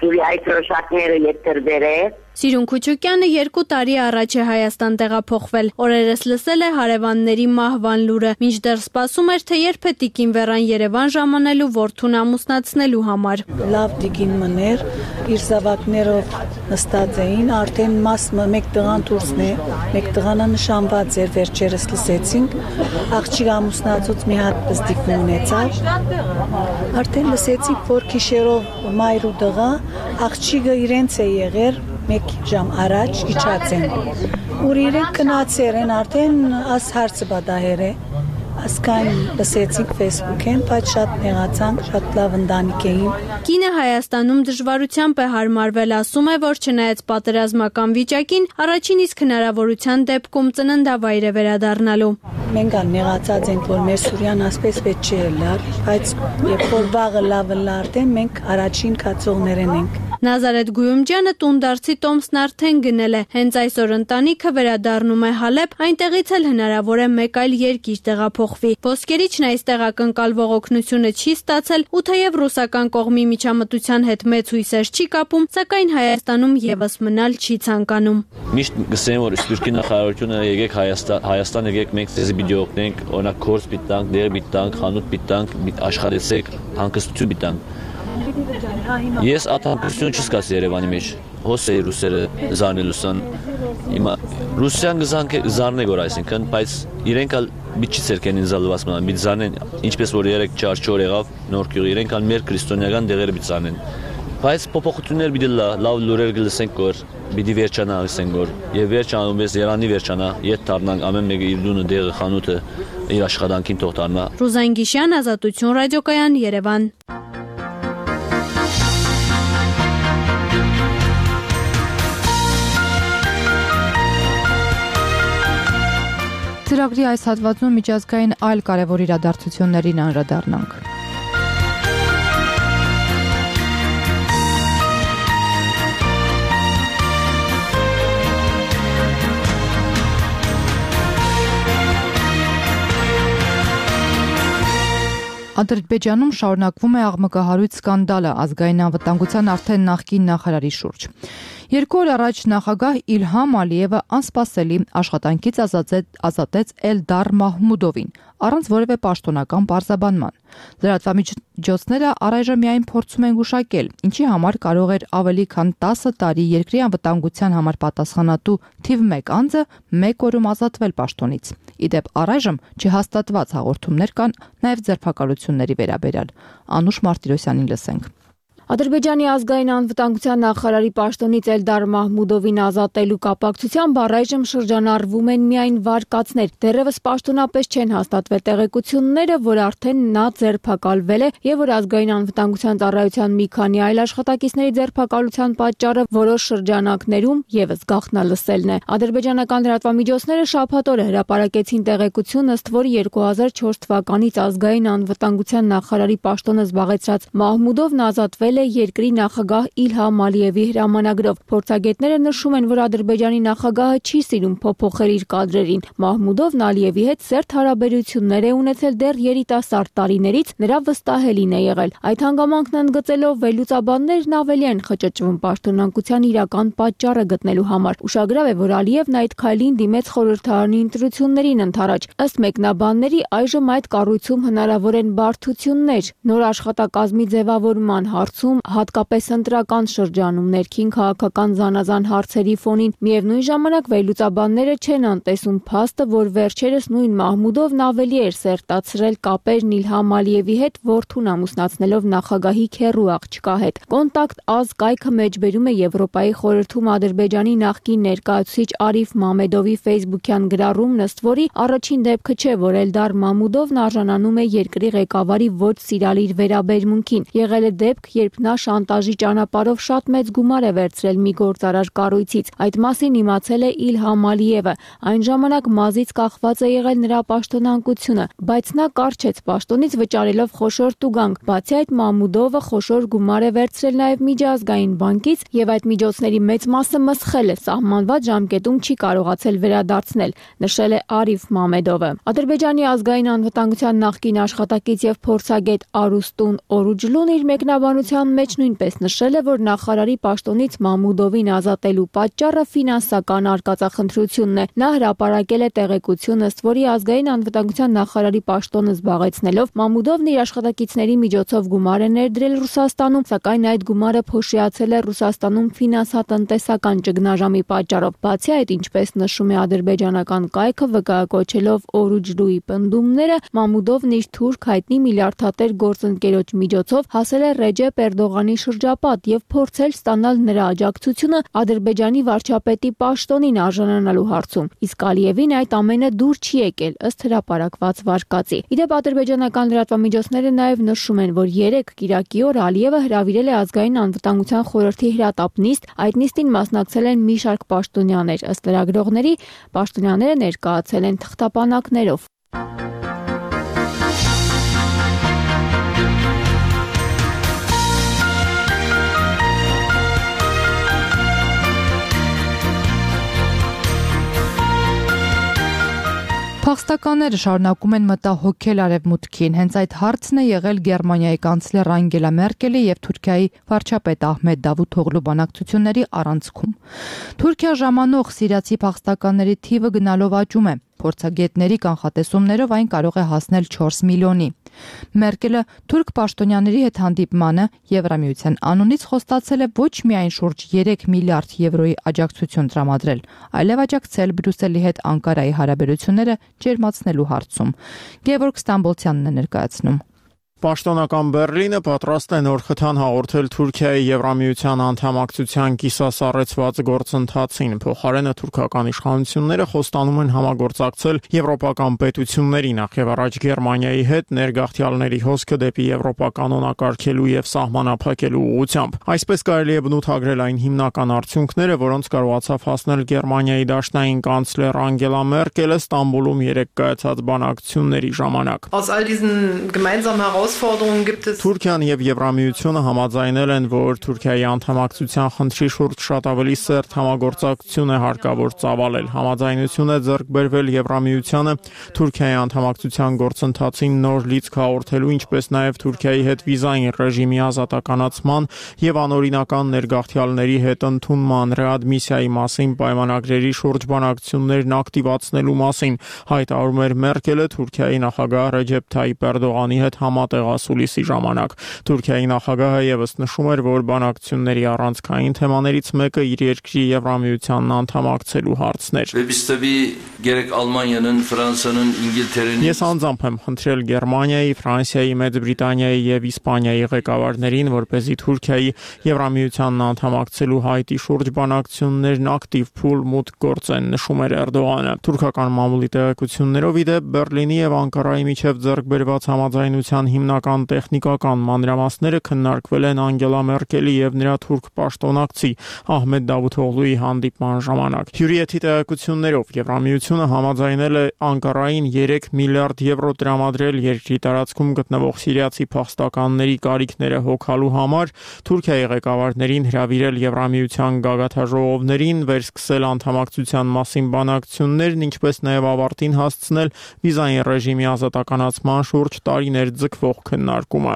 Սուրիայի թրոշակները եթերբեր է։ Սիրուն Քուչուկյանը 2 տարի առաջ է Հայաստան տեղափոխվել։ Օրերս լսել է հարևանների մահվան լուրը, մինչդեռ սպասում էր, թե երբ է տիկին Վերան Երևան ժամանելու որդուն ամուսնացնելու համար։ Լավ տիկին մներ, իր զավակներով նստած էին, արդեն մեկ տղան դուրսն է, մեկ տղանը նշանված էր, վերջերս լսեցինք, աղջիկ ամուսնացուց մի հատ բզդիկ ունեցավ։ Արդեն լսեցինք, որ գիշերով մայր ու տղա աղջիկը իրենց է եղել 1 ժամ առաջ իջած են։ Ուր իրենք կնացեր են արդեն աս հարցը բադահեր է։ Ասկայն լսեցինք Facebook-ին, բայց շատ նեղացանք, շատ լավ ընտանիք էին։ Կինը Հայաստանում դժվարությամբ է հարմարվել, ասում է, որ չնայած պատերազմական վիճակին, առաջին իսկ հնարավորության դեպքում ծննդավայր է վերադառնալու։ Մենք նեղացած ենք, որ մեր Սուրյան ասպես պետք չէ լար, բայց երբ որ վաղը լավը լարդ է, մենք առաջին կացողներն ենք։ Նազարեթ Գույումջյանը տունդարձի տոմսն արդեն գնել է։ Հենց այսօր ընտանիքը վերադառնում է Հալեբ, այնտեղից էլ հնարավոր է մեկ այլ երկիր տեղափոխվի։ Ոսկերիչն այս տեղակնկալվող օգնությունը չի ստացել, ու թեև ռուսական կողմի միջամտության հետ մեծ հույսեր չի կապում, սակայն Հայաստանում եւս մնալ չի ցանկանում։ Միշտ գսեմ, որ Սփյուռքի նախարարությունը եկեք Հայաստան եկեք, մենք ձեզ պիտի օգնենք, օրինակ կորս պիտի տանք, դեր պիտի տանք, խանութ պիտի տանք, աշխատեցեք, հանգստություն պիտի տանք։ Ես ատամքություն չսկաց Երևանի մեջ, հոսեի ռուսերը զարնելուսան, ռուսյան զարնե գոր այսինքն, բայց իրենք ալ բիտ չի ծերքեն ինձ ալված մնան, բիտ զարնեն, ինչպես որ երեք չար եղավ նոր կյուղ, իրենք ալ մեր քրիստոնեական դեղերը բիտ զարնեն, բայց փոփոխություններ բիտ լավ լուրեր գլսենք գոր, բիդի վերջանա ասենք գոր, եւ վերջանում ես Երանի վերջանա, ետ դառնանք ամեն մեկը իր դունը դեղը խանութը իր աշխատանքին թող դառնա։ Ռուզան Գիշյան, Ազատություն ռադիոկայան, Երևան։ Ծրագրի այս հատվածում միջազգային այլ կարևոր իրադարձություններին անդրադառնանք։ Ադրբեջանում շարունակվում է աղմկահարույց սկանդալը ազգային անվտանգության արդեն նախկին նախարարի շուրջ։ 2 օր առաջ նախագահ Իլհամ Ալիևը անսպասելի աշխատանքից ազատեց Էլդար Մահմուդովին, առանց որևէ պաշտոնական պարզաբանման։ Լրատվամիջոցները առայժմ միայն փորձում են գուշակել, ինչի համար կարող էր ավելի քան 10 տարի երկրի անվտանգության համար պատասխանատու թիվ 1 անձը 1 օրում ազատվել պաշտոնից։ Իդեպ առայժմ չհաստատված հաղորդումներ կան նաև ձերբակալությունների վերաբերյալ։ Անուշ Մարտիրոսյանին լսենք։ Ադրբեջանի ազգային անվտանգության նախարարի պաշտոնից Էլդար Մահմուդովին ազատելու կապակցությամբ առայժմ շրջանառվում են միայն վարկածներ։ Դեռևս պաշտոնապես չեն հաստատվել տեղեկությունները, որ արդեն նա ձերբակալվել է եւ որ ազգային անվտանգության ծառայության մի քանի այլ աշխատակիցների ձերբակալության պատճառը որոշ շրջանակներում եւս գաղտնալսելն է։ Ադրբեջանական լրատվամիջոցները շաբաթ օրը հրապարակեցին տեղեկություն, ըստ որի 2004 թվականից ազգային անվտանգության նախարարի պաշտոնը զբաղեցրած Մահմուդովն ազատվել է երկրի նախագահ Իլհամ Ալիևի հրամանագրով։ Փորձագետները նշում են, որ Ադրբեջանի նախագահը չի սիրում փոփոխել իր կադրերին։ Մահմուդովն Ալիևի հետ սերտ հարաբերություններ է ունեցել դեռ երիտասարդ տարիներից, նրա վստահելին է եղել։ Այդ հանգամանքն ընդգծելով վերլուծաբաններն ավելի են խճճվում պաշտոնանկության իրական պատճառը գտնելու համար։ Ուշագրավ է, որ Ալիևն այդ քայլին դիմեց խորհրդարանի ընտրություններին ընդառաջ։ Ըստ մեկնաբանների, այժմ այդ կառույցում հնարավոր են բարդություններ։ Նոր աշխատակազմի ձևավորման հարցում, հատկապես ընտրական շրջանում ներքին քաղաքական զանազան հարցերի ֆոնին, միևնույն ժամանակ վերլուծաբանները չեն անտեսում փաստը, որ վերջերս նույն Մահմուդովն ավելի էր սերտացրել կապերն Իլհամ Ալիևի հետ, որդուն ամուսնացնելով նախագահի քեռու աղջկա հետ։ Կոնտակտ AZ կայքը մեջբերում է Եվրոպայի խորհրդում Ադրբեջանի նախկին ներկայացուցիչ Արիֆ Մամեդովի Facebook-յան գրառումն, ըստ որի առաջին դեպքը չէ, որ Էլդար Մամուդովն արժանանում է երկրի ղեկավարի ոչ սիրալիր վերաբերմունքին։ Եղել է դեպք, երբ նա շանտաժի ճանապարհով շատ մեծ գումար է վերցրել մի գործարար կառույցից։ Այդ մասին իմացել է Իլհամ Ալիևը։ Այն ժամանակ մազից կախված է եղել նրա պաշտոնանկությունը, բայց նա կարճեց պաշտոնից վճարելով խոշոր տուգանք։ Բացի այդ, Մամուդովը խոշոր գումար է վերցրել նաև միջազգային բանկից եւ այդ միջոցների մեծ մասը մսխել է, սահմանված ժամկետում չի կարողացել վերադարձնել, նշել է Արիֆ Մամեդովը։ Ադրբեջանի ազգային անվտանգության նախկին աշխատակից եւ փորձագետ Արուստուն Օրուջլուն իր մեկնաբանության մեջ նույնպես նշել է, որ նախարարի պաշտոնից Մամուդովին ազատելու պատճառը ֆինանսական արկածախնդրությունն է։ Նա հրապարակել է տեղեկություն, ըստ որի ազգային անվտանգության նախարարի պաշտոնը զբաղեցնելով Մամուդովն իր աշխատակիցների միջոցով գումար է ներդրել Ռուսաստանում, սակայն այդ գումարը փոշիացել է Ռուսաստանում ֆինանսատնտեսական ճգնաժամի պատճառով։ Բացի այդ, ինչպես նշում է ադրբեջանական կայքը, վկայակոչելով Օրուջլուի պնդումները, Մամուդովն իր թուրք հայտնի միլիարդատեր գործընկերոջ միջոցով հասել է Ռեջեպ Էրդողանի շրջապատ եւ փորձել ստանալ նրա աջակցությունը Ադրբեջանի վարչապետի պաշտոնին արժանանալու հարցում։ Իսկ Ալիևին այդ ամենը դուր չի եկել ըստ հրապարակված վարկածի։ Իդեպ ադրբեջանական լրատվամիջոցները նաեւ նշում են, որ 3 կիրակի օր Ալիևը հրավիրել է ազգային անվտանգության խորհրդի հրատապ նիստ, այդ նիստին մասնակցել են մի շարք պաշտոնյաներ, ըստ լրագրողների պաշտոնյաները ներկայացել են թղթապանակներով։ Փախստականները շարունակում են մտահոգել Արևմուտքին։ Հենց այդ հարցն է եղել Գերմանիայի կանցլեր Անգելա Մերկելի եւ Թուրքիայի վարչապետ Ահմեդ Դավութօղլու բանակցությունների առանցքում։ Թուրքիա ժամանող սիրիացի փախստականների թիվը գնալով աճում է։ Փորձագետների կանխատեսումներով այն կարող է հասնել 4 միլիոնի։ Մերկելը թուրք պաշտոնյաների հետ հանդիպմանը Եվրամիության անունից խոստացել է ոչ միայն շուրջ 3 միլիարդ եվրոյի աջակցություն տրամադրել, այլև աջակցել Բրյուսելի հետ Անկարայի հարաբերությունները ջերմացնելու հարցում։ Գևորգ Ստամբոլցյանն է ներկայացնում։ Պաշտոնական Բեռլինը պատրաստ է նոր խթան հաղորդել Թուրքիայի Եվրամիության անդամակցության կիսասառեցված գործընթացին։ Փոխարենը թուրքական իշխանությունները խոստանում են համագործակցել եվրոպական պետությունների, նախ եւ առաջ Գերմանիայի հետ, ներգաղթյալների հոսքը դեպի Եվրոպա կանոնակարգելու եւ սահմանափակելու ուղղությամբ։ Այսպես կարելի է բնութագրել այն հիմնական արդյունքները, որոնց կարողացավ հասնել Գերմանիայի դաշնային կանցլեր Անգելա Մերկելը Ստամբուլում 3 կայացած բանակցությունների ժամանակ։ Թուրքիան եւ Եվրամիությունը համաձայնել են, որ Թուրքիայի անդամակցության խնդրի շուրջ շատ ավելի սերտ համագործակցություն է հարկավոր ծավալել։ Համաձայնություն է ձեռք բերվել Եվրամիությանը Թուրքիայի անդամակցության գործընթացին նոր լիցք հաղորդելու, ինչպես նաեւ Թուրքիայի հետ վիզային ռեժիմի ազատականացման եւ անօրինական ներգաղթյալների հետ ընդունման ռեադմիսիայի մասին պայմանագրերի շուրջ բանակցություններն ակտիվացնելու մասին հայտարարում էր Մերկելը Թուրքիայի նախագահ Ռեջեփ Թայիպ Էրդողանի հետ համատեղասուլիսի ժամանակ։ Թուրքիայի նախագահը եւս նշում էր, որ բանակցությունների առանցքային թեմաներից մեկը իր երկրի Եվրամիությանն անդամակցելու հարցն էր։ Ես անձամբ եմ խնդրել Գերմանիայի, Ֆրանսիայի, Մեծ Բրիտանիայի եւ Իսպանիայի ղեկավարներին, որպեսզի Թուրքիայի Եվրամիությանն անդամակցելու հայտի շուրջ բանակցություններն ակտիվ փուլ մուտք գործեն, նշում էր Էրդողանը։ Թուրքական մամուլի տեղեկություններով իդեպ Բեռլինի եւ Անկարայի միջև ձեռք բերված համաձայնության հիմնական տեխնիկական մանրամասները քննարկվել են Անգելա Մերկելի եւ նրա թուրք պաշտոնակցի Ահմեդ Դավութօղլուի հանդիպման ժամանակ։ Հյուրիեթի տեղեկություններով Եվրամիությունը համաձայնել է Անկարային 3 միլիարդ եվրո տրամադրել երկրի տարածքում գտնվող սիրիացի փախստականների կարիքները հոգալու համար, Թուրքիայի ղեկավարներին հրավիրել Եվրամիության գագաթաժողովներին, վերսկսել անդամակցության մասին բանակցություններն, ինչպես նաեւ ավարտին հասցնել վիզային ռեժիմի ազատականացման շուրջ տարիներ ձգվող քննարկումը։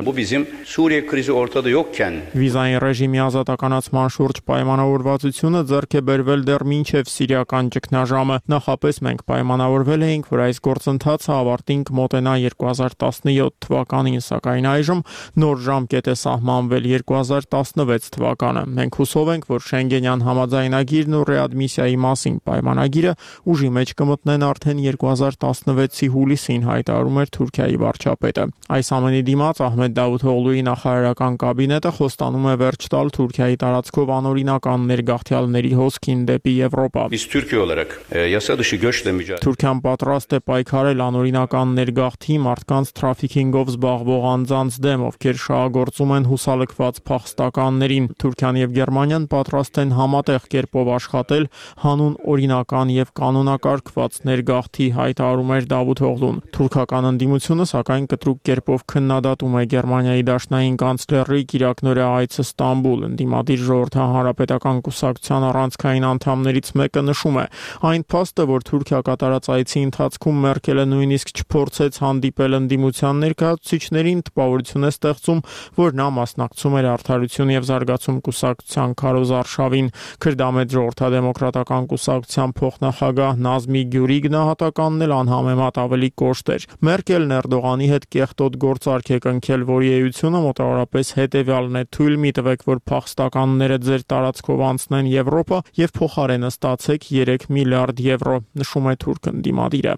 Վիզային ռեժիմի ազատականացման շուրջ պայմանավորվածությունը ձեռք է բերվել դեռ մինչև սիրիական ճգնաժամը։ Նախապես մենք պայմանավորվել էինք, որ այս գործընթացը ավարտին կմոտենա 2017 թվականին, սակայն այժմ նոր ժամկետ է սահմանվել 2016 թվականը։ Մենք հուսով ենք, որ Շենգենյան համաձայնագիրն ու ռեադմիսիայի մասին պայմանագիրը ուժի մեջ կմտնեն արդեն 2016-ի հուլիսին, հայտարարում էր Թուրքիայի վարչապետը։ Այս ամենի դիմաց Ահմեդ Դավութօղլուի նախարարական կաբինետը խոստանում է վերջ տալ Թուրքիայի տարածքով անօրինական ներգաղթյալների հոսքին դեպի Եվրոպա։ Թուրքիան պատրաստ է պայքարել անօրինական ներգաղթի, մարդկանց թրաֆիքինգով զբաղվող անձանց դեմ, ովքեր շահագործում են հուսալքված փախստականներին։ Թուրքիան եւ Գերմանիան պատրաստ են համատեղ կերպով աշխատել հանուն օրինական եւ կանոնակարգված ներգաղթի, հայտարարում էր Դավութօղլուն։ Թուրքական ընդդիմությունը սակայն կտրուկ կերպով քննադատում է Գերմանիայի դաշնային կանցլերի Կիրակնօրյա այցը Ստամբուլ։ Ընդդիմադիր ժողովրդական հանրապետական կուսակցության առանցքային անդամներից մեկը նշում է. այն փաստը, որ Թուրքիա կատարած այցի ընթացքում Մերկելը նույնիսկ չփորձեց հանդիպել ընդդիմության ներկայացուցիչներին, տպավորություն է ստեղծում, որ նա մասնակցում էր Արդարություն եւ զարգացում կուսակցության քարոզարշավին։ Քրդամետ ժողովրդադեմոկրատական կուսակցության փոխնախագահ Նազմի Գյուրի գնահատականն էլ անհամեմատ ավելի կոշտ էր։ Մերկելն Էրդողանի հետ կեղտոտ գործարք է կնքել, որի էությունը մոտավորապես հետևյալն է. թույլ մի տվեք, որ փախստականները ձեր տարածքով անցնեն Եվրոպա եւ փոխարենը ստացեք 3 միլիարդ եվրո, նշում է թուրք ընդդիմադիրը։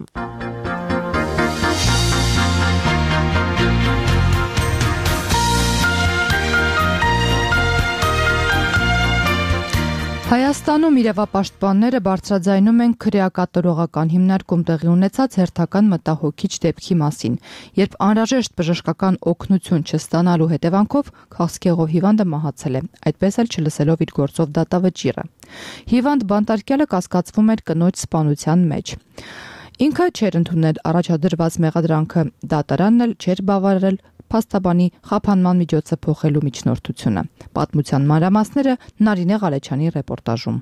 Հայաստանում իրավապաշտպանները բարձրաձայնում են քրեակատարողական հիմնարկում տեղի ունեցած հերթական մտահոգիչ դեպքի մասին, երբ անհրաժեշտ բժշկական օգնություն չստանալու հետևանքով քաղցկեղով հիվանդը մահացել է, այդպես էլ չլսելով իր գործով դատավճիռը։ Հիվանդ բանտարկյալը կասկածվում էր կնոջ սպանության մեջ։ Ինքը չէր ընդունել առաջադրված մեղադրանքը, դատարանն էլ չէր բավարարել փաստաբանի խափանման միջոցը փոխելու միջնորդությունը։ Պատմության մանրամասները Նարինե Ղալեչյանի ռեպորտաժում։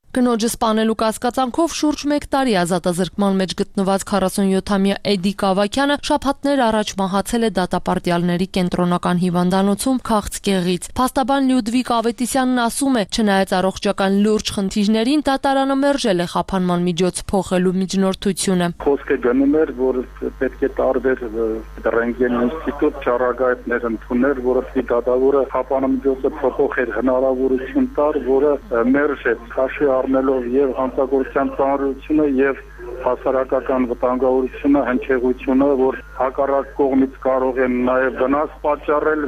Կնոջը սպանելու կասկածանքով շուրջ 1 տարի ազատազրկման մեջ գտնված 47-ամյա Էդի Կավակյանը շաբաթներ առաջ մահացել է դատապարտյալների կենտրոնական հիվանդանոցում քաղցկեղից։ Փաստաբան Լյուդվիկ Ավետիսյանն ասում է, չնայած առողջական լուրջ խնդիրներին, դատարանը մերժել է խափանման միջոց փոխելու միջնորդությունը։ Խոսքը գնում էր, որ պետք է տարբեր ռենտգեն ինստիտուտ ճառագայթներ ընդուներ, որովհետեւ դատավորը խափանման միջոցը փոխել հնարավորություն տար, որը մերժեց քաշի առնելով եւ հանցագործության ծանրությունը եւ հասարակական վտանգավորությունը, հնչեղությունը, որ հակառակ կողմից կարող են նաեւ վնաս պատճառել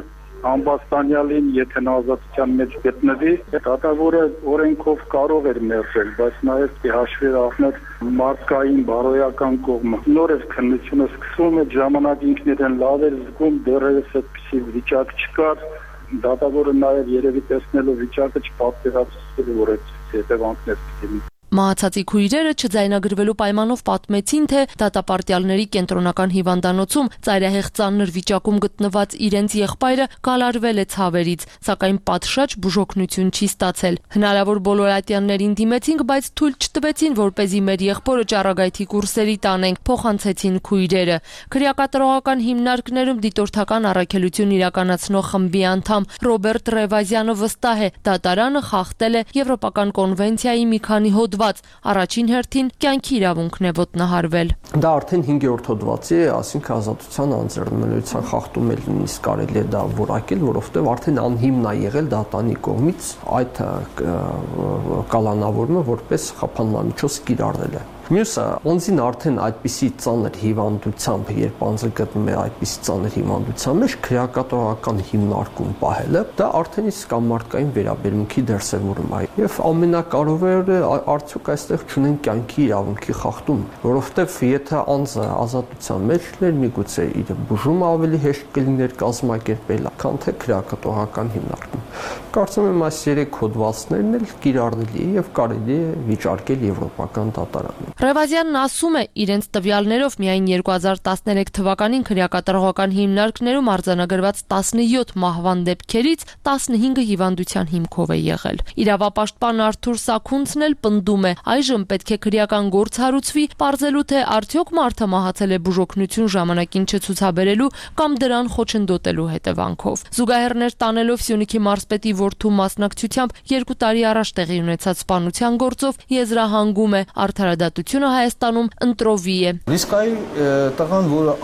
ամբաստանյալին, եթե նա ազատության մեջ գտնվի, դատավորը օրենքով կարող էր մերժել, բայց նաեւ հաշվի առնել մարդկային բարոյական կողմը։ Նորից քննությունը սկսվում է, ժամանակ ինքն իրեն լավ էր զգում, դեռևս այդպիսի վիճակ չկար, դատավորը նաեւ երևի տեսնելով վիճակը չպատկերացրել, որ այդ հետևանքներ կլինի։ Մահացածի քույրերը չձայնագրվելու պայմանով պատմեցին, թե դատապարտյալների կենտրոնական հիվանդանոցում ծայրահեղ ծանր վիճակում գտնված իրենց եղբայրը գալարվել է ցավերից, սակայն պատշաճ բուժօգնություն չի ստացել։ Հնարավոր բոլոր ատյաններին դիմեցինք, բայց թույլ չտվեցին, որպեսզի մեր եղբորը ճառագայթի կուրսերի տանենք, փոխանցեցին քույրերը։ Քրեակատարողական հիմնարկներում դիտորդական առաքելություն իրականացնող խմբի անդամ Ռոբերտ Ռևազյանը վստահ է, դատարանը խախտել է Եվրոպական կոնվենցիայի մի քանի հոդված։ Առաջին հերթին կյանքի իրավունքն է ոտնահարվել։ Դա արդեն 5-րդ հոդվածի է, ասինքն ազատության անձեռնմնության խախտում է, նույնիսկ կարելի է դա որակել, որովհետև արդեն անհիմն է եղել դատանի կողմից այդ կալանավորումը որպես խափանմամիջոց կիրառել է։ Մյուսը, անձին արդեն այդպիսի ծանր հիվանդությամբ, երբ անձը գտնում է այդպիսի ծանր հիվանդության մեջ, քրեակատարողական հիմնարկում պահելը, դա արդեն իսկ մարդկային վերաբերմունքի դրսևորում է։ Եվ ամենակարևորը արդյոք այստեղ չունեն կյանքի իրավունքի խախտում, որովհետև եթե անձը ազատության մեջ լիներ, միգուցե իր բուժումը ավելի հեշտ կլիներ կազմակերպել, քան թե քրեակատարողական հիմնարկում։ Կարծում եմ այս 3 հոդվածներն էլ կիրառելի եւ կարելի է վիճարկել Եվրոպական դատարանում։ Ռևազյանն ասում է, իրենց տվյալներով միայն 2013 թվականին քրեակատարողական հիմնարկներում արձանագրված 17 մահվան դեպքերից 15-ը հիվանդության հիմքով է եղել։ Իրավապաշտպան Արթուր Սաքունցն էլ պնդում է, այժմ պետք է քրեական գործ հարուցվի, պարզելու թե արդյոք մարդը մահացել է բուժօգնություն ժամանակին չցուցաբերելու կամ դրան խոչընդոտելու հետևանքով։ Զուգահեռներ տանելով Սյունիքի մարզպետի որդու մասնակցությամբ 2 տարի առաջ տեղի ունեցած սպանության գործով եզրահանգում է արդարադատությունը Հայաստանում ընտրովի է։ Ռիսկայի տղան, որը